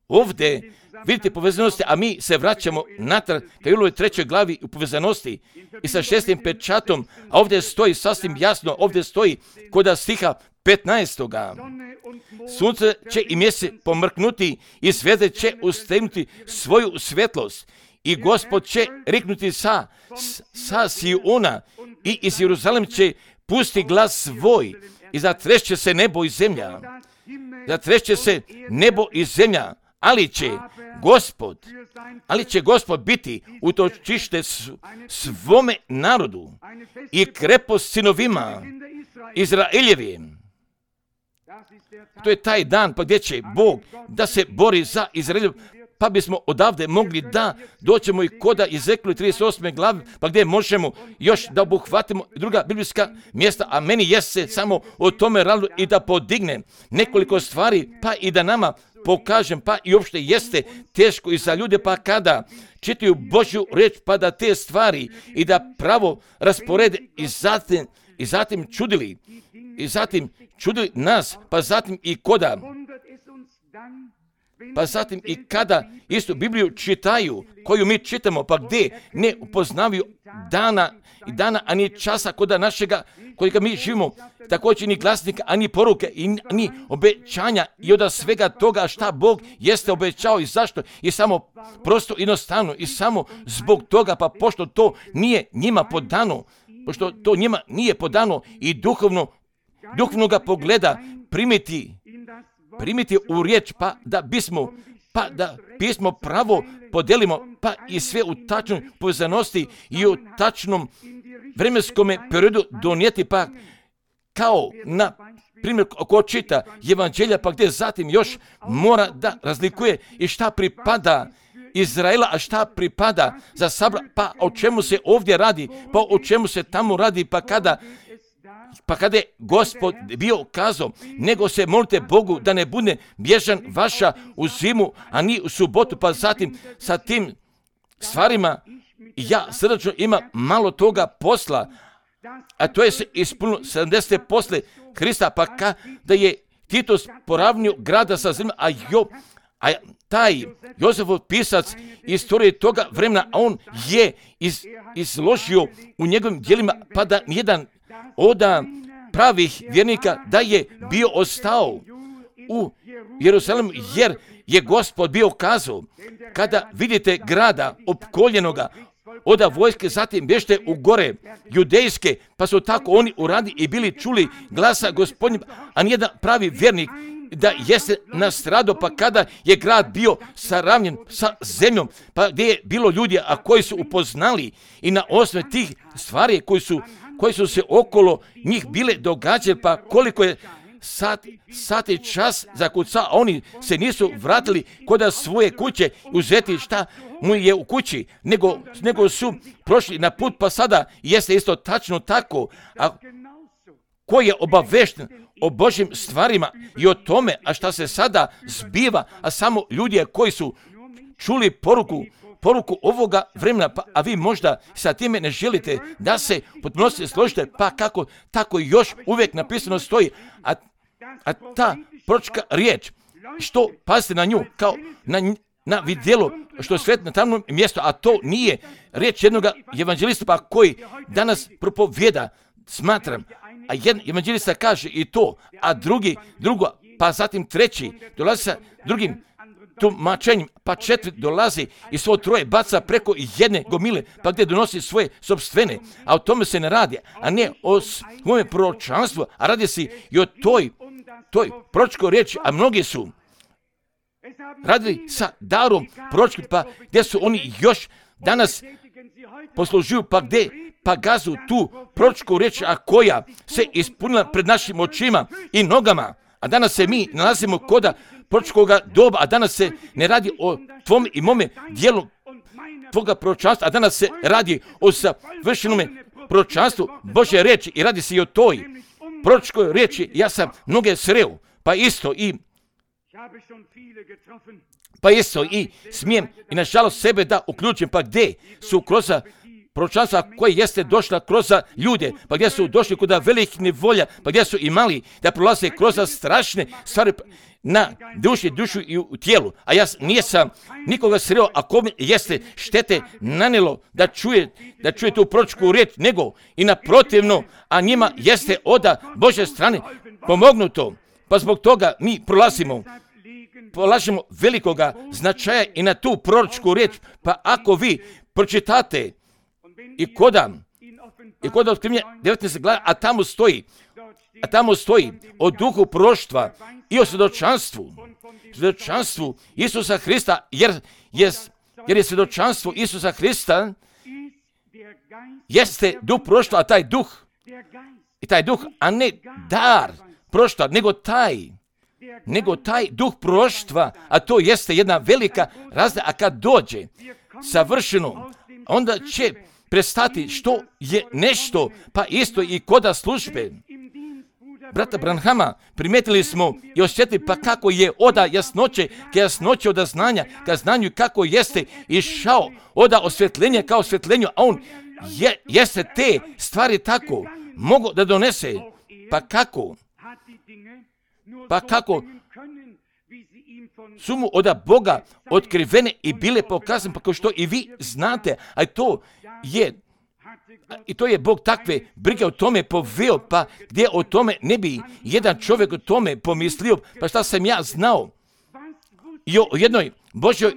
Speaker 1: ovdje vidite povezanosti, a mi se vraćamo natrag ka Julovoj 3. glavi u povezanosti i sa 6. pečatom, a ovdje stoji sasvim jasno, ovdje stoji kod stiha 15. Sunce će i mjesec pomrknuti i zvijezde će ustegnuti svoju svjetlost i Gospod će riknuti sa Siona i iz Jeruzalem će pusti glas svoj i zatrešće se nebo i zemlja. Zatrešće se nebo i zemlja, ali će Gospod biti utočište svome narodu i krepost sinovima Izraeljevim. To je taj dan pa gdje će Bog da se bori za Izraelju, pa bismo odavde mogli da doćemo i koda Ezekijela 38. glavi, pa gdje možemo još da obuhvatimo druga biblijska mjesta, a meni jeste samo o tome radilo i da podignem nekoliko stvari, pa i da nama pokažem, pa i uopšte jeste teško i za ljude, pa kada čitaju Božju riječ, pa da te stvari i da pravo rasporede i zatim čudili nas, pa zatim i kada istu Bibliju čitaju, koju mi čitamo, pa gdje ne upoznavaju dana, ani časa koda našega, kojega mi živimo, također ni glasnika, ani poruke, ni obećanja i od svega toga šta Bog jeste obećao i zašto, i samo prosto jednostavno, i samo zbog toga, pa pošto to nije njima podano, i duhovno ga pogleda primiti u riječ, pa da pismo pravo podelimo, pa i sve u tačnoj povezanosti i u tačnom vremenskom periodu donijeti, pa kao na primjer ko čita evanđelja, pa gdje zatim još mora da razlikuje i šta pripada Izraela, a šta pripada za sabra, pa o čemu se ovdje radi, pa o čemu se tamo radi, pa kada je Gospod bio kazao, nego se molite Bogu da ne bude bježan vaša u zimu, a ni u subotu, pa zatim sa tim stvarima ja srdačno imam malo toga posla, a to je se ispunilo 70. posle Hrista, pa kada je Titus poravnio grada sa zemljom, a taj Jozefov pisac istorije toga vremena, a on je izložio u njegovim djelima, pa da nijedan od pravih vjernika da je bio ostao u Jeruzalemu, jer je Gospod bio kazao, kada vidite grada opkoljenoga od vojske, zatim bježte u gore judejske, pa su tako oni uradi i bili čuli glasa Gospodnjeg, a nijedan pravi vjernik da jeste nastradao, pa kada je grad bio saravnjen sa zemljom, pa gdje je bilo ljudi, a koji su upoznali i na osnovu tih stvari koji su se okolo njih bile događale, pa koliko je sat i čas zakuca, a oni se nisu vratili kod svoje kuće uzeti šta mu je u kući, nego su prošli na put, pa sada jeste isto tačno tako, a ko je obavešten o Božjim stvarima i o tome, a šta se sada zbiva, a samo ljudi koji su čuli poruku ovoga vremena, a vi možda sa time ne želite da se potpunosti složite, pa kako tako još uvijek napisano stoji, a ta proročka riječ, što pazite na nju, kao na vidjelo što svet na tamnom mjestu, a to nije riječ jednog evanđelista, pa koji danas propovjeda, smatram, a jedan evanđelista kaže i to, a drugo, pa zatim treći dolazi sa drugim tumačenjem, pa 4 dolazi i svo 3 baca preko jedne gomile, pa gdje donosi svoje sopstvene, a o tome se ne radi, a ne o svome proročanstvu, a radi se i o toj proročkoj riječi, a mnogi su radili sa darom proročkim, pa gdje su oni još danas poslužuju, pa gdje pa gazu tu proročku riječ, a koja se ispunila pred našim očima i nogama. A danas se mi nalazimo koda proročkoga doba, a danas se ne radi o tvom i mome dijelu tvoga proročanstva, a danas se radi o savršenome proročanstvu Božje riječi i radi se i o toj proročkoj riječi. Ja sam mnoge sreo, pa isto i smijem i nažalost sebe da uključim, pa gdje su kroz proročanstva koje jeste došla kroz ljude, pa gdje su došli kod velikih nevolja, pa gdje su imali da prolaze kroz strašne stvari na dušu i u tijelu. A ja nisam nikoga sreo, a kome jeste štete nanijelo da čuje tu proročku riječ, nego i naprotivno, a njima jeste od Božje strane pomognuto. Pa zbog toga mi polažemo velikoga značaja i na tu proročku riječ. Pa ako vi pročitate i kod otkrivenja 19. glave, a tamo stoji o duhu proroštva i o svjedočanstvu Isusa Hrista, jer je svjedočanstvo Isusa Hrista jeste duh proroštva, a taj duh, a ne dar proroštva, nego taj duh proroštva, a to jeste jedna velika razlika, a kad dođe savršeno, onda će prestati što je nešto, pa isto i koda službe. Brata Branhama primijetili smo i osjetili pa kako je oda jasnoće od znanja, ka znanju kako jeste išao oda osvjetljenja kao osvjetljenju, a on jeste te stvari tako mogu da donese. Pa kako su mu od Boga otkrivene i bile pokazane, pa kao što i vi znate, a to je Bog takve brige o tome poveo, pa gdje o tome ne bi jedan čovjek o tome pomislio, pa šta sam ja znao i o jednoj Božjoj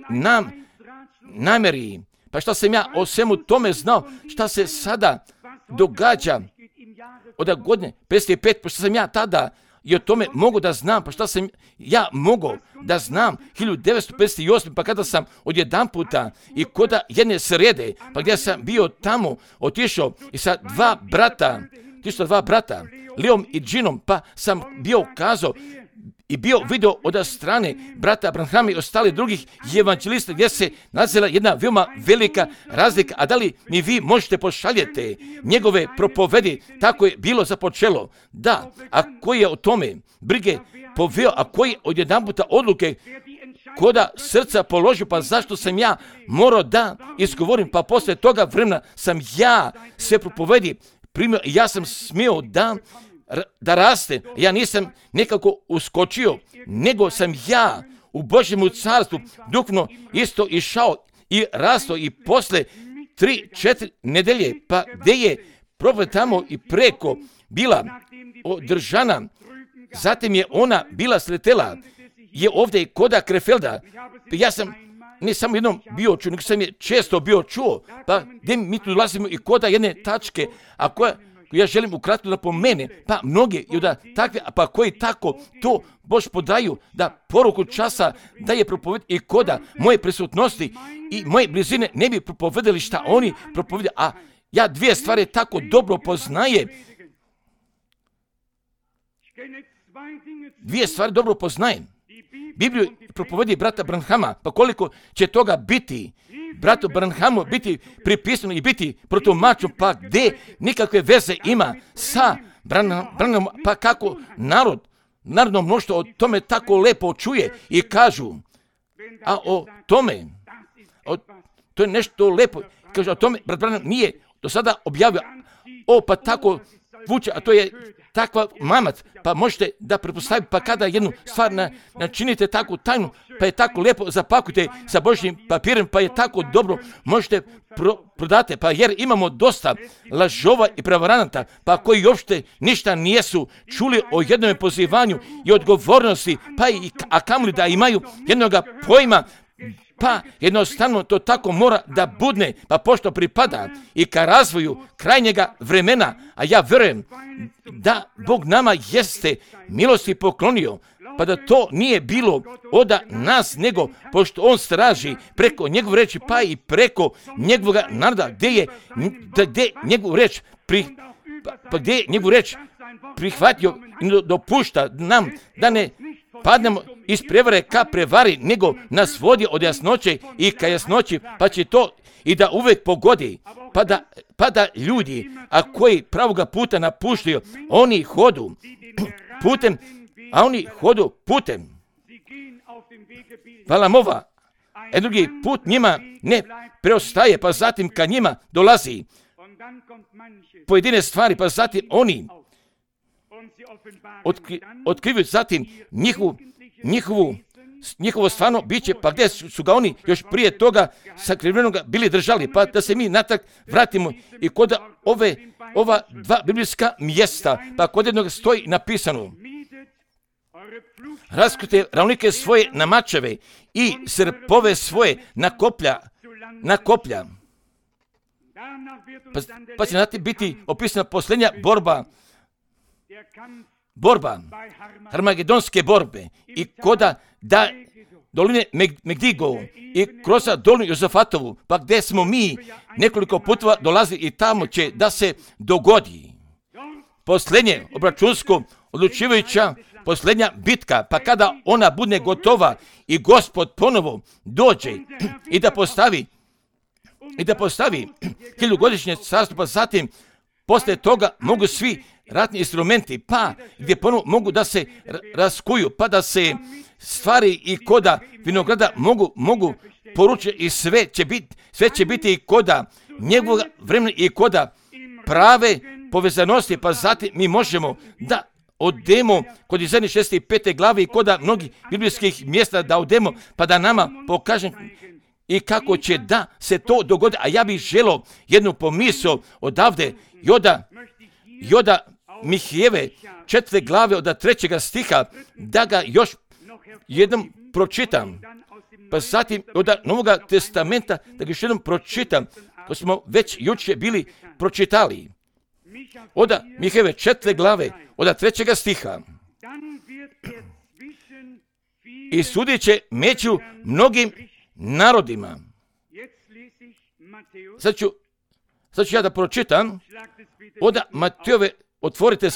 Speaker 1: namjeri, pa šta sam ja o svemu tome znao, šta se sada događa od godine 55, pa šta sam ja tada i o tome mogu da znam, pa šta sam ja mogao da znam 1958, pa kada sam odjedanputa i koda jedne srede, pa gdje sam bio tamo, otišao i sa dva brata, Leom i Džinom, pa sam bio kazao i bio video od strane brata Branhama i ostali drugih evanđelista gdje se nalazila jedna veoma velika razlika, a da li mi vi možete pošaljete njegove propovedi, tako je bilo započelo. Da, a koji je o tome brige poveo, a koji odjedanputa odluke koda srca položio, pa zašto sam ja morao da izgovorim, pa poslije toga vremena sam ja sve propovedi primio i ja sam smio da raste. Ja nisam nekako uskočio, nego sam ja u Božjemu carstvu duhovno isto išao i rastao i posle 3-4 nedelje, pa gdje je propoved tamo i preko bila održana, zatim je ona bila sletela, je ovdje i koda Krefelda. Ja sam ne samo jednom bio čuo, nego sam je često bio čuo, pa gdje mi tu dolazimo i koda jedne tačke, a koja ja želim ukratko da pomene, pa mnogi i da takve, pa koji tako to Bož podaju, da poruku časa da je propoved i koda moje prisutnosti i moje blizine ne bi propovedali šta oni propovedaju, a ja dvije stvari tako dobro poznajem. Bibliju propovedi brata Branhama, pa koliko će toga biti bratu Branhamu biti pripisano i biti protumačeno, pa gdje nikakve veze ima sa Branhamom, pa kako narodno mnoštvo o tome tako lepo čuje i kažu, a o tome, to je nešto lepo, kaže o tome, brat Branham nije do sada objavio, pa tako vuče, a to je takva mamac, pa možete da pretpostavite, pa kada jednu stvar načinite takvu tajnu, pa je tako lijepo zapakujete sa Božjim papirem, pa je tako dobro, možete prodate, pa jer imamo dosta lažova i prevaranata, pa koji uopšte ništa nijesu čuli o jednom pozivanju i odgovornosti, pa a kamoli da imaju jednoga pojma, pa jednostavno to tako mora da budne, pa pošto pripada i ka razvoju krajnjega vremena, a ja vjerujem da Bog nama jeste milosti poklonio, pa da to nije bilo od nas, nego pošto On straži preko njegove reči, pa i preko njegovoga naroda, gdje njegovu reč gdje je njegovu reč prihvatio i dopušta nam da ne padnemo iz prevare ka prevari, nego nas vodi od jasnoće i ka jasnoći, pa će to i da uvijek pogodi, pa da ljudi, a koji pravoga puta napuštaju, oni hodu putem Valamova, drugi put njima ne preostaje, pa zatim ka njima dolazi pojedine stvari, pa zatim oni otkrivaju zatim njihovo stvarno biće, pa gdje su ga oni još prije toga sakrivenoga bili držali, pa da se mi natrag vratimo i kod ova dva biblijska mjesta, pa kod jednog stoji napisano: raskute ravnike svoje na mačeve i srpove svoje na koplja. Pa će znati biti opisana posljednja borba, Harmagedonske borbe i koda da doline Megdigo i kroz dolinu Jozafatovu, pa gdje smo mi nekoliko putova dolazili i tamo će da se dogodi posljednje obračunsko odlučivajuća posljednja bitka, pa kada ona bude gotova i Gospod ponovo dođe i da postavi hiljugodišnje carstvo, pa zatim poslije toga mogu svi ratni instrumenti, pa gdje ponovo mogu da se raskuju, pa da se stvari i koda vinograda mogu poručiti i sve će biti i koda njegovog vremena i koda prave povezanosti, pa zatim mi možemo da odemo kod Izaije 65. glave i koda mnogih biblijskih mjesta da odemo, pa da nama pokažem i kako će da se to dogodi. A ja bih želio jednu pomisao odavde Joda Mihijeve 4. glave od 3. stiha da ga još jednom pročitam. Pa zatim od Novoga testamenta da ga još jednom pročitam, ko smo već jučer bili pročitali. Od Mihijeve 4. glave od 3. stiha. I sudit će među mnogim narodima. Sad ću ja da pročitam od Matejove, otvorite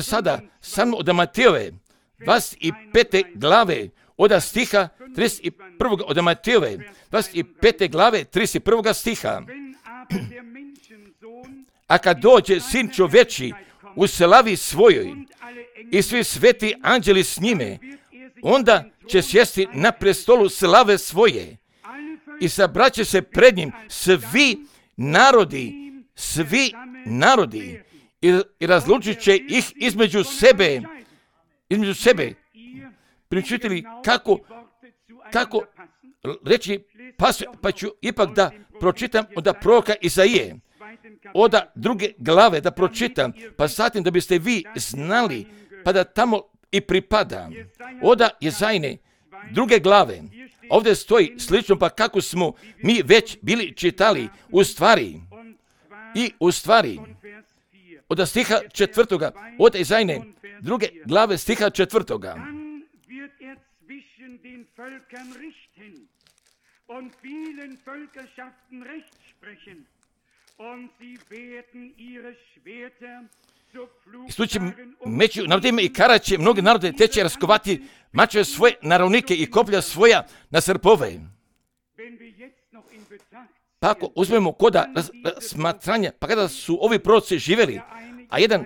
Speaker 1: sada sa mnom od Matejove 25. glave od stiha 31. od Matejove 25. glave 31. stiha. A kad dođe Sin čovječji u slavi svojoj i svi sveti anđeli s njime, onda će sjesti na prestolu slave svoje i sabraće se pred njim svi narodi i razlučit će ih između sebe. Pričujete kako reći, pa ću ipak da pročitam od proroka Izaije, od 2. glave da pročitam, pa zatim da biste vi znali, pa da tamo i pripada. Od Jezajine 2. glave, ovdje stoji slično, pa kako smo mi već bili čitali, u stvari, od stiha 4. od Jezajine 2. glave stiha 4. I sluči meću narodima i karaće mnoge narode, te će raskovati mačeve svoje na ravnike i koplja svoja na srpove. Pa ako uzmemo koda smatranja, pa kada su ovi proroci živjeli, a jedan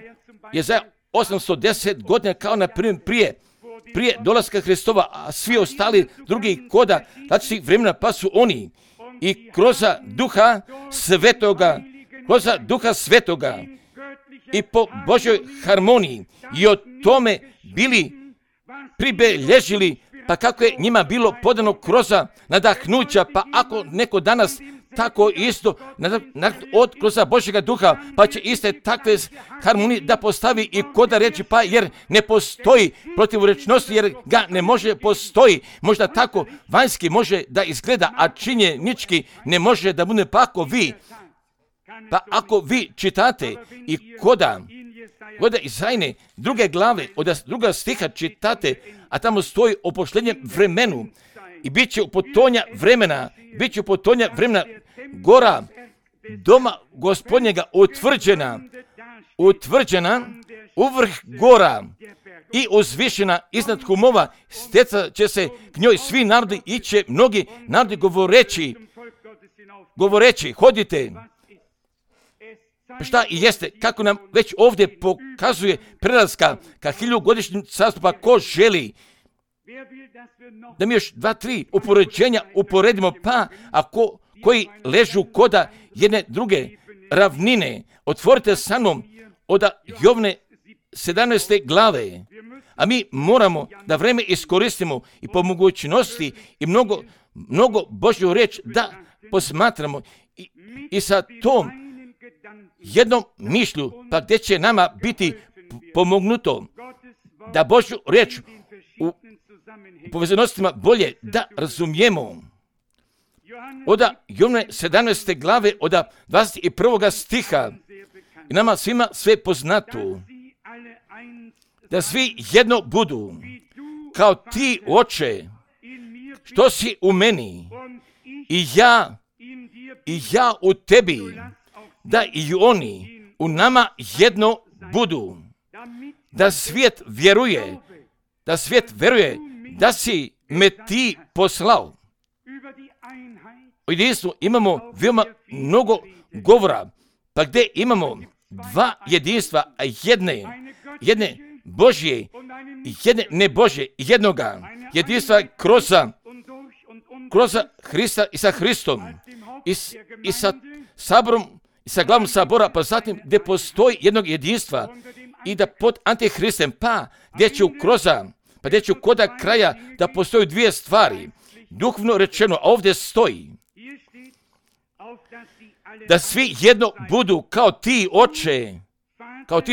Speaker 1: je za 810 godina kao na prije dolaska Hristova, a svi ostali drugi koda različitih vremena, pa su oni i kroz Duha Svetoga i po Božoj harmoniji i o tome bili pribeležili, pa kako je njima bilo podano kroz nadahnuća, pa ako neko danas tako isto od kroz Božjega duha, pa će iste takve harmonije da postavi i koda reći, pa jer ne postoji protivrečnosti, jer ga ne može postoji. Možda tako vanjski može da izgleda, a činjenički ne može da bude. Pa pa ako vi čitate i koda Izajne druge glave, od druga stiha čitate, a tamo stoji o pošljenjem vremenu i bit će u potonja vremena, gora doma Gospodnjega utvrđena u vrh gora i uzvišena iznad humova, stecat će se k njoj svi narodi i će mnogi narodi govoreći, hodite. Šta i jeste, kako nam već ovdje pokazuje prelaska ka 1000-godišnjem carstvu, pa ko želi da mi još 2-3 upoređenja uporedimo, pa ako koji ležu koda jedne druge ravnine, otvorite sa mnom od Jovne 17. glave, a mi moramo da vreme iskoristimo i po mogućnosti i mnogo Božju riječ da posmatramo i sa tom jednom mišlju, pa gdje će nama biti pomognuto da Božju riječ u povezanostima bolje da razumijemo. Od Jovne 17. glave, od 21. stiha, i nama svima sve poznato, da svi jedno budu, kao ti, Oče, što si u meni, i ja u tebi, da i oni u nama jedno budu, da svijet vjeruje da si me ti poslao. O jedinstvu imamo veoma mnogo govora, pa gdje imamo dva jedinstva, a jedne Božje i jedne nebožje, jednoga jedinstva kroz Hrista i sa Hristom i sa saborom i sa glavom sabora, pa zatim gdje postoji jednog jedinstva i da pod Antihristem, pa gdje ću koda kraja da postoji dvije stvari, duhovno rečeno, a ovdje stoji da svi jedno budu kao ti,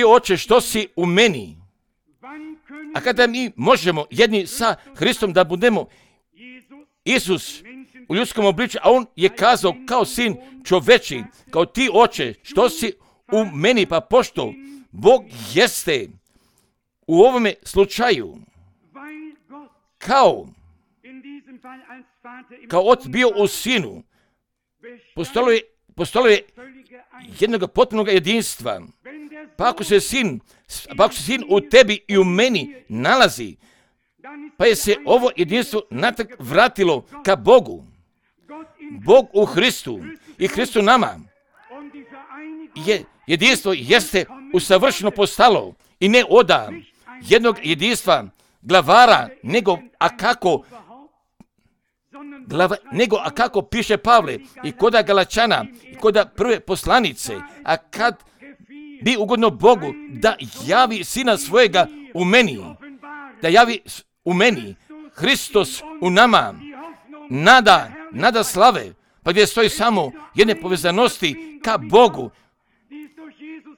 Speaker 1: Oče, što si u meni. A kada mi možemo jedni sa Hristom da budemo Isus u ljudskom obličju, a on je kazao kao sin čoveči, kao ti, Oče, što si u meni, pa pošto Bog jeste u ovome slučaju kao otac bio u sinu, postalo je jednog potpunog jedinstva. Pa ako se sin u tebi i u meni nalazi, pa je se ovo jedinstvo natrag vratilo ka Bogu. Bog u Hristu i Hristu nama. Jedinstvo jeste usavršeno postalo i ne oda jednog jedinstva glavara, nego a kako piše Pavle i koda Galačana i koda prve poslanice, a kad bi ugodno Bogu da javi sina svojega u meni, Hristos u nama, nada slave, pa gdje stoji samo jedne povezanosti ka Bogu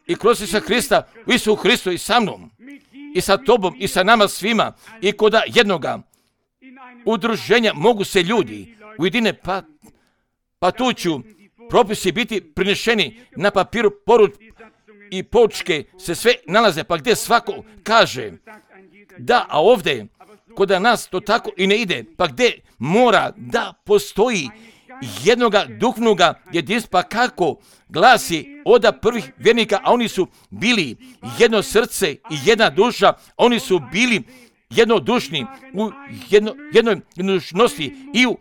Speaker 1: i kroz Isusa Hrista, u Isusu Hristu i sa mnom, i sa tobom, i sa nama svima, i koda jednoga udruženja mogu se ljudi ujedine, pa tu ću propisi biti prinešeni na papiru, porud i poučke se sve nalaze, pa gdje svako kaže da, a ovdje koda nas to tako i ne ide, pa gdje mora da postoji jednoga duhovnoga jedinstva, pa kako glasi od prvih vjernika, a oni su bili jedno srce i jedna duša, oni su bili jednodušni u jednoj dušnosti i u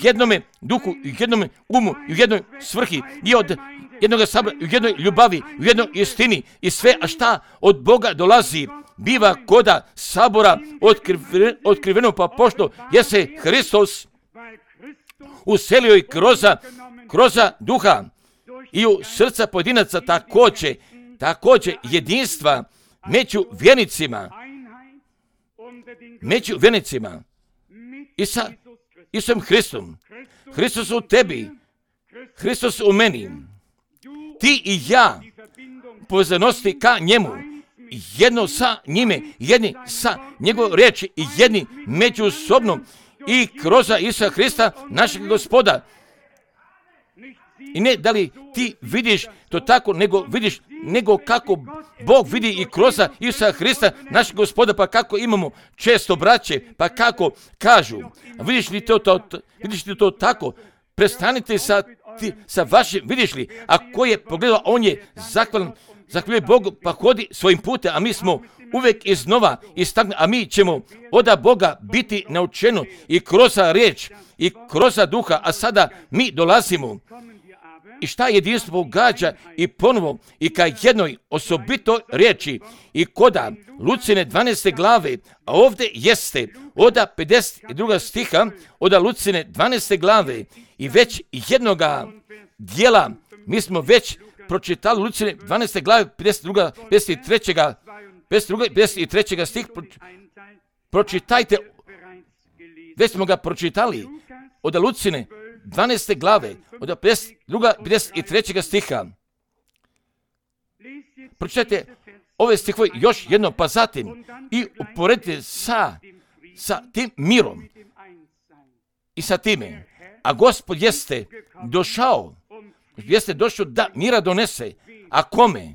Speaker 1: jednome duhu, u jednome umu, i u jednoj svrhi, i od jednoga sabora, u jednoj ljubavi, u jednoj istini, i sve, a šta od Boga dolazi, biva koda sabora otkriveno, pa pošto je se Hristos uselio i kroz duha i u srca pojedinaca također također jedinstva među vjernicima i sa Isusom Hristom. Hristos u tebi, Hristos u meni, ti i ja, povezanosti ka njemu, jedno sa njime, jedni sa njegove riječi i jedni međusobno i kroz Isusa Hrista, našeg Gospoda. I ne da li ti vidiš to tako, nego kako Bog vidi i kroz Isusa Hrista, našeg Gospoda, pa kako imamo često braće, pa kako kažu, vidiš li to tako? Prestanite sa vašim, vidiš li, ako je pogledao, on je zahvaljuje Bogu, pa hodi svojim putem, a mi smo uvijek iznova istaknuti, a mi ćemo od Boga biti naučeni i kroz riječ i kroz duha, a sada mi dolazimo. I šta jedinstvo pogađa i ponovo i ka jednoj osobitoj riječi i koda Lucine 12. glave, a ovdje jeste od 52. stiha od Lucine 12. glave i već jednoga dijela, mi smo već pročitali Lucine 12. glave 53. stih, pročitajte, već smo ga pročitali od Lucine 12. glave, od 53. stiha. Pročitajte ove stihove još jedno, pa zatim i uporedite sa tim mirom i sa time. A Gospod jeste došao da mira donese. A kome?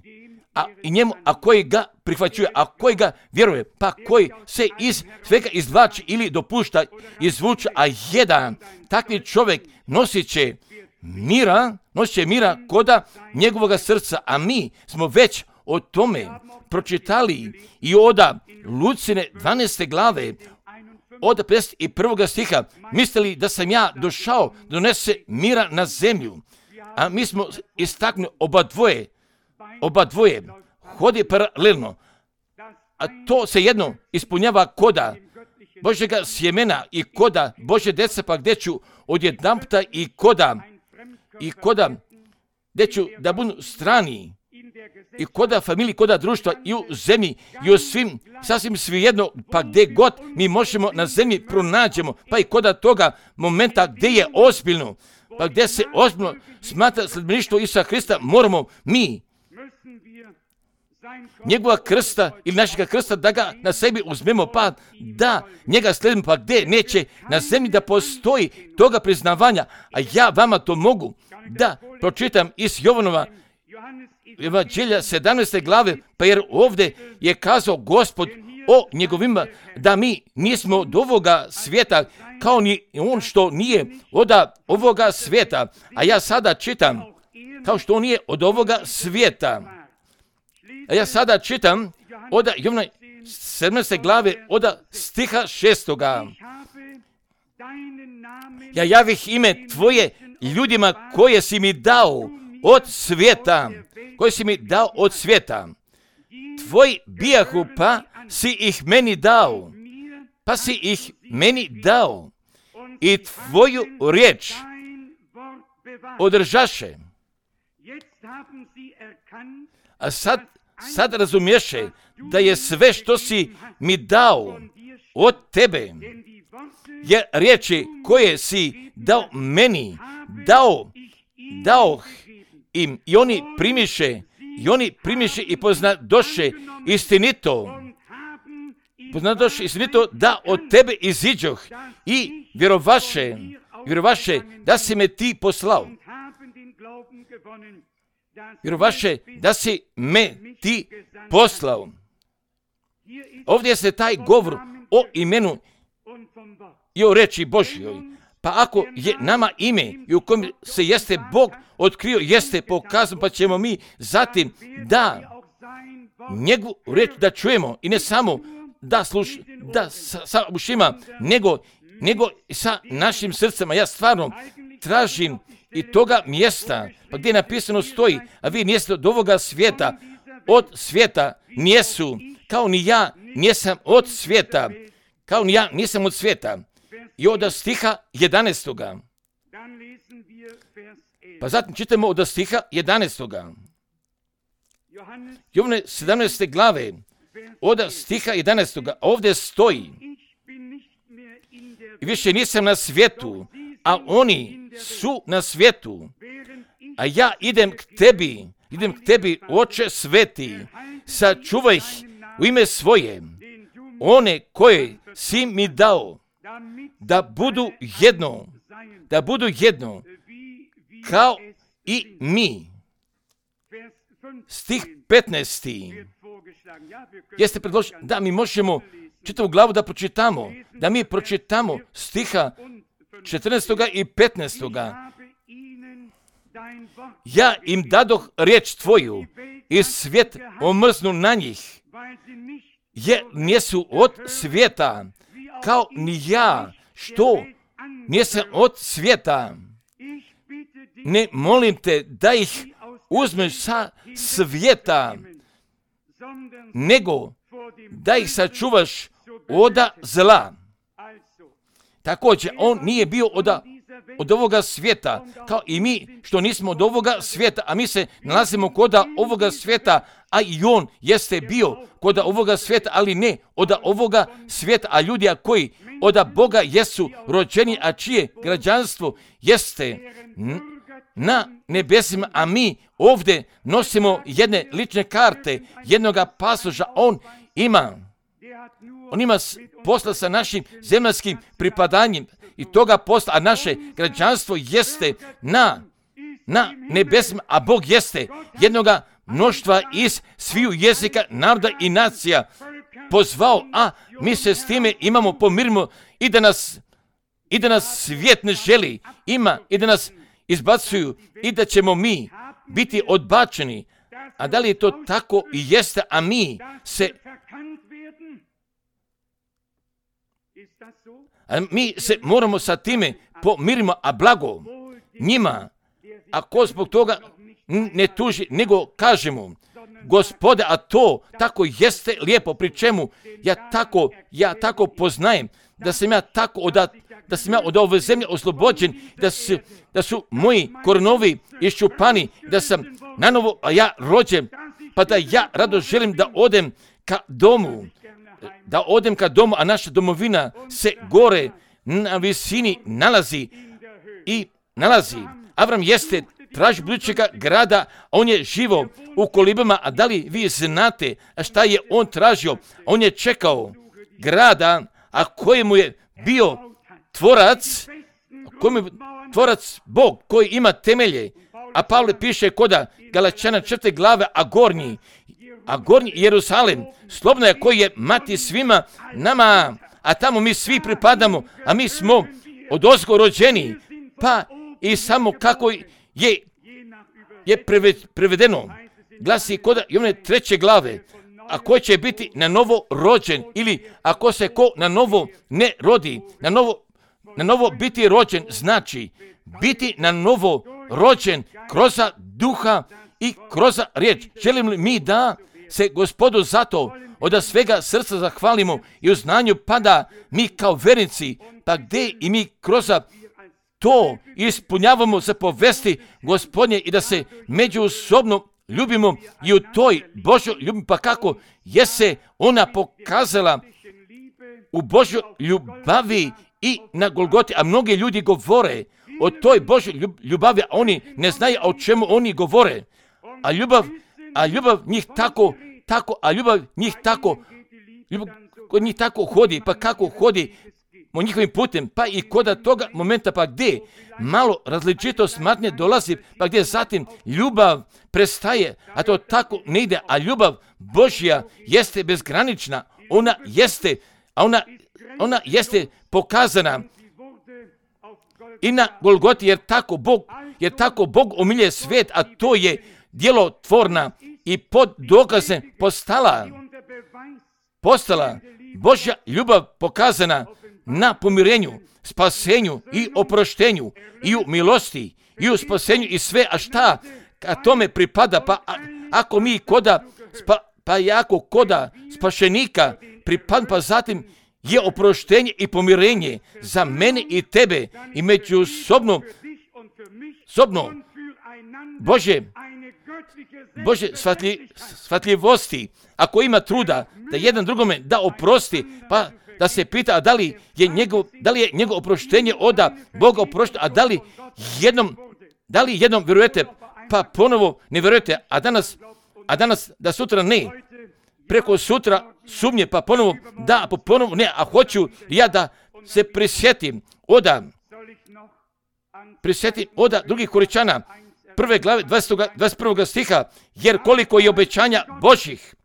Speaker 1: I njemu, a koji ga prihvaćuje, a koji ga vjeruje, pa koji se iz svega izvlači ili dopušta izvuče, a jedan takvi čovjek nosit će mira koda njegovoga srca, a mi smo već o tome pročitali i od Lucine 12. glave, od 51. stiha, mislili da sam ja došao da donese mira na zemlju, a mi smo istaknuli oba dvoje hodi paralelno, a to se jedno ispunjava koda Božjega sjemena i koda Božje djeca, pa gdje ću odjedanputa i koda gdje ću da budu strani i koda familiji, koda društva i u zemlji i u svim, sasvim svejedno, pa gdje god mi možemo na zemlji pronađemo, pa i koda toga momenta gdje je ozbiljno, pa gdje se ozbiljno smatra sledbeništvo Isusa Hrista, moramo mi njegova krsta ili našega krsta da ga na sebi uzmemo, pa da njega slijedimo, pa gdje neće na zemlji da postoji toga priznavanja, a ja vama to mogu da pročitam iz Jovanova Evanđelja 17. glave, pa jer ovdje je kazao Gospod o njegovima da mi nismo od ovoga svijeta, kao ni on što nije od ovoga svijeta, a ja sada čitam kao što on nije od ovoga svijeta. A ja sada čitam od Jovana 17. glave od stiha 6. Ja javih ime tvoje ljudima koje si mi dao od svijeta. Tvoji bijahu, pa si ih meni dao. I tvoju riječ održaše. A sad razumješe da je sve što si mi dao od tebe, jer riječi koje si dao meni, dao im i oni primiše i poznadoše istinito da od tebe iziđoh i vjerovaše da si me ti poslao. Vjerovaše da si me ti poslao. Ovdje se taj govor o imenu i o reči Božjoj. Pa ako je nama ime i u kojem se jeste Bog otkrio, jeste pokazano, pa ćemo mi zatim da njegovu reč da čujemo i ne samo da sa ušima, nego sa našim srcima. Ja stvarno tražim i toga mjesta, pa gdje napisano stoji, a vi niste od ovoga svijeta, od svijeta nijesu, kao ni ja nisam od svijeta, I od stiha 11. Pa zatim čitamo od stiha 11. Jovane 17. glave, od stiha 11. ovdje stoji: više nisam na svijetu, a oni su na svijetu, a ja idem k tebi, Oče sveti, sačuvaj ih u ime svoje, one koje si mi dao, da budu jedno, kao i mi. Stih 15. Jeste predložili da mi možemo čitavu glavu da pročitamo, da mi pročitamo stiha 14. i 15. Ja im dadoh riječ tvoju i svijet omrznu na njih, jer nisu od svijeta, kao ni ja, što nisam od svijeta. Ne molim te da ih uzmeš sa svijeta, nego da ih sačuvaš oda zla. Također, on nije bio od ovoga svijeta, kao i mi što nismo od ovoga svijeta, a mi se nalazimo kod ovoga svijeta, a i on jeste bio kod ovoga svijeta, ali ne od ovoga svijeta, a ljudi koji od Boga jesu rođeni, a čije građanstvo jeste na nebesima, a mi ovdje nosimo jedne lične karte, jednoga pasoža. On ima posla sa našim zemaljskim pripadanjem i toga posla, a naše građanstvo jeste na nebesima, a Bog jeste jednoga mnoštva iz sviju jezika, naroda i nacija pozvao, a mi se s time imamo pomirimo i da nas svijet ne želi, i da nas izbacuju i da ćemo mi biti odbačeni. A da li je to tako i jeste, a mi se moramo sa time pomirimo, a blago njima, ako zbog toga ne tuži, nego kažemo: Gospode, a to tako jeste lijepo, pri čemu ja tako poznajem da sam ja od ove zemlje oslobođen, da su moji korenovi iščupani, da sam nanovo ja rođen, pa da ja rado želim da odem ka domu, a naša domovina se gore na visini nalazi. Avram jeste traži budućega grada, on je živo u kolibama, a da li vi znate šta je on tražio? On je čekao grada, a kojemu je bio tvorac Bog, koji ima temelje. A Pavle piše koda Galačana 4. glave, a gornji Jerusalim, slobodno je, koji je mati svima nama, a tamo mi svi pripadamo, a mi smo odozgo rođeni, pa i samo kako je prevedeno, glasi kod Jovane 3. glave, a ko će biti na novo rođen, ili ako se ko na novo ne rodi, na novo biti rođen, znači biti na novo rođen kroz duha i kroz riječ. Želim li mi da se Gospodu zato od svega srca zahvalimo i u znanju, pa da mi kao vernici, pa gdje i mi kroz to ispunjavamo zapovesti Gospodnje i da se međusobno ljubimo i u toj Božoj ljubavi, pa kako je se ona pokazala u Božoj ljubavi i na Golgoti, a mnogi ljudi govore o toj Božoj ljubavi, a oni ne znaju o čemu oni govore, a ljubav njih tako hodi, pa kako hodi o njihovim putem, pa i kod toga momenta, pa gdje malo različito smatnje dolazi, pa gdje zatim ljubav prestaje, a to tako ne ide, a ljubav Božja jeste bezgranična, ona jeste pokazana i na Golgoti, jer tako Bog omilje svijet, a to je djelotvorna i pod dokazem postala Božja ljubav pokazana na pomirenju, spasenju i oproštenju i u milosti i u spasenju i sve, a šta ka tome pripada, pa ako mi jako koda spašenika pripada, pa zatim je oproštenje i pomirenje za mene i tebe i međusobno. Bože, Bože shvatljivosti, ako ima truda da jedan drugome da oprosti, pa da se pita a da li je njegovo oproštenje od Boga oprošteno, a da li jednom vjerujete, pa ponovo ne vjerujete, a danas da sutra ne, preko sutra sumnje, pa ponovo da, pa ponovo ne, a hoću ja da se prisjetim od drugih Koričana, 1. glave 21. stiha, jer koliko je obećanja Božjih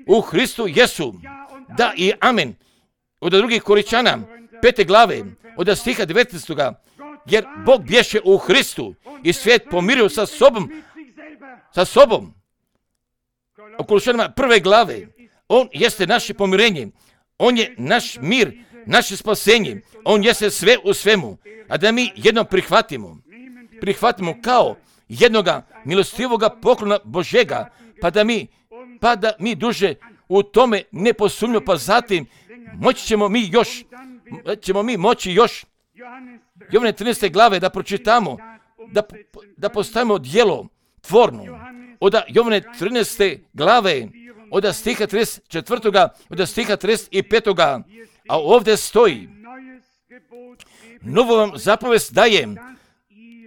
Speaker 1: u Hristu Jesu, da i amen. Od drugih Koričana, 5. glave, od stiha 19. jer Bog bješe u Hristu i svijet pomirio sa sobom. U Kološanima 1. glave, on jeste naše pomirenje, on je naš mir, naše spasenje, on jeste sve u svemu, a da mi jednom prihvatimo kao jednoga milostivoga poklona Božega, pa da mi duže u tome ne posumnjamo, pa zatim ćemo mi moći još Jovane 13. glave da pročitamo, da postavimo djelo tvorno. Od Jovane 13. glave, od stiha 34. od stiha 35. A ovdje stoji, novu vam zapovest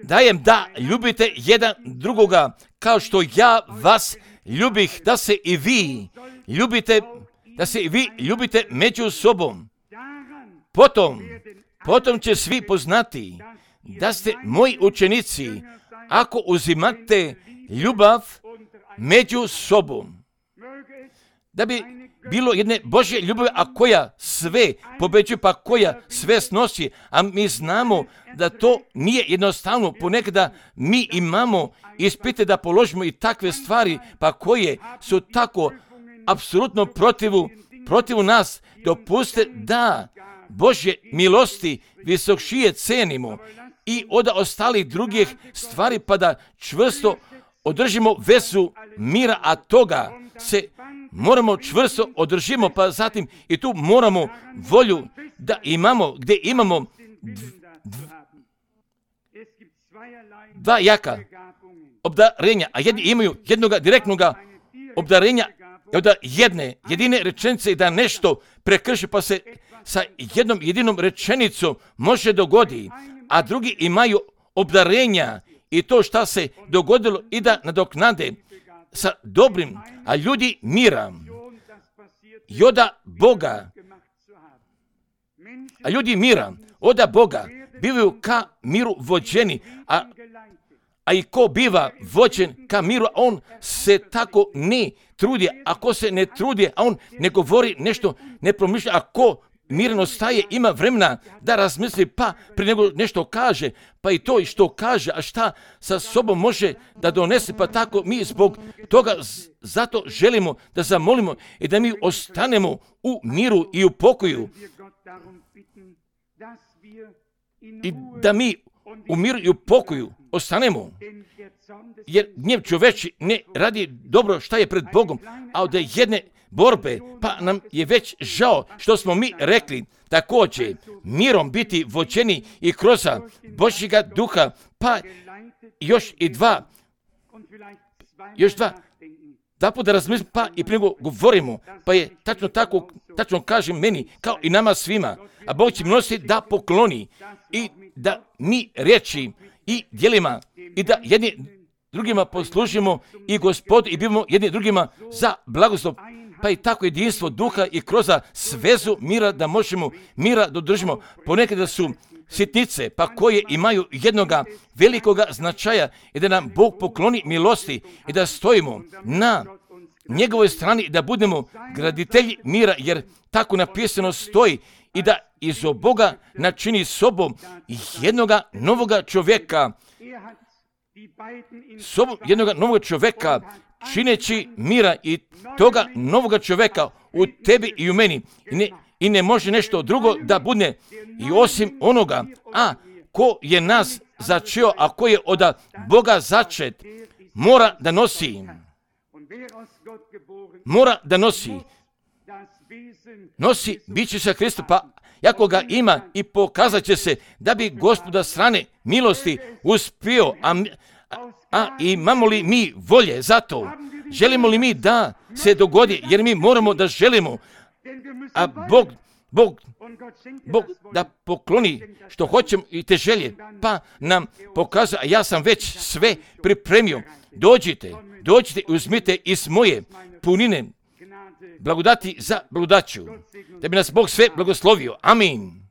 Speaker 1: dajem da ljubite jedan drugoga, kao što ja vas ljubih, da se i vi ljubite među sobom. Potom će svi poznati da ste moji učenici, ako uzimate ljubav među sobom. Da bi bilo jedne Božje ljubavi, a koja sve pobeđuje, pa koja sve snosi, a mi znamo da to nije jednostavno. Ponekada mi imamo ispite da položimo i takve stvari, pa koje su tako apsolutno protiv nas. Dopustite da Božje milosti visokšije cenimo i od ostalih drugih stvari, pa da čvrsto održimo vezu mira, a toga se moramo čvrsto održimo, pa zatim i tu moramo volju da imamo, gdje imamo dva jaka obdarenja, a jedni imaju jednoga direktnoga obdarenja od jedine rečenice da nešto prekrši, pa se sa jednom jedinom rečenicom može dogodi, a drugi imaju obdarenja i to šta se dogodilo i da nadoknade sa dobrim, a ljudi mira i oda Boga, oda Boga bivaju ka miru vođeni, a i ko biva vođen ka miru, on se tako ne trudi, ako se ne trudi, a on ne govori nešto, ne promišlja, a ko mirno staje, ima vremena da razmisli, pa prije nego nešto kaže, pa i to i što kaže, a šta sa sobom može da donese, pa tako mi zbog toga zato želimo da zamolimo i da mi ostanemo u miru i u pokoju i da mi u miru i u pokoju ostanemo, jer gnjev čoveči ne radi dobro šta je pred Bogom, a od jedne borbe, pa nam je već žao što smo mi rekli također mirom biti vođeni i kroz Božjega duha, pa još dva puta razmislim, pa i prije govorimo, pa je tačno kažem meni, kao i nama svima, a Bog će milosti da pokloni i da mi riječi i djelima i da jedni drugima poslužimo i Gospodu i bivamo jedni drugima za blagoslov, pa i tako jedinstvo duha i kroz svezu mira da možemo mira dodržimo. Ponekada su sitnice, pa koje imaju jednoga velikoga značaja i da nam Bog pokloni milosti i da stojimo na njegovoj strani i da budemo graditelji mira, jer tako napisano stoji i da iz Boga načini sobom jednoga novoga čovjeka, čineći mira i toga novoga čovjeka u tebi i u meni. I ne može nešto drugo da bude i osim onoga, a ko je nas začeo, a ko je od Boga začet, mora da nosi biće sa Kristu, pa jako ga ima i pokazat će se da bi Gospoda strane milosti uspio, a A imamo li mi volje za to? Želimo li mi da se dogodi? Jer mi moramo da želimo. A Bog da pokloni što hoćemo i te želje. Pa nam pokazuje, a ja sam već sve pripremio. Dođite i uzmite iz moje punine blagodati za blagodaću. Da bi nas Bog sve blagoslovio. Amin.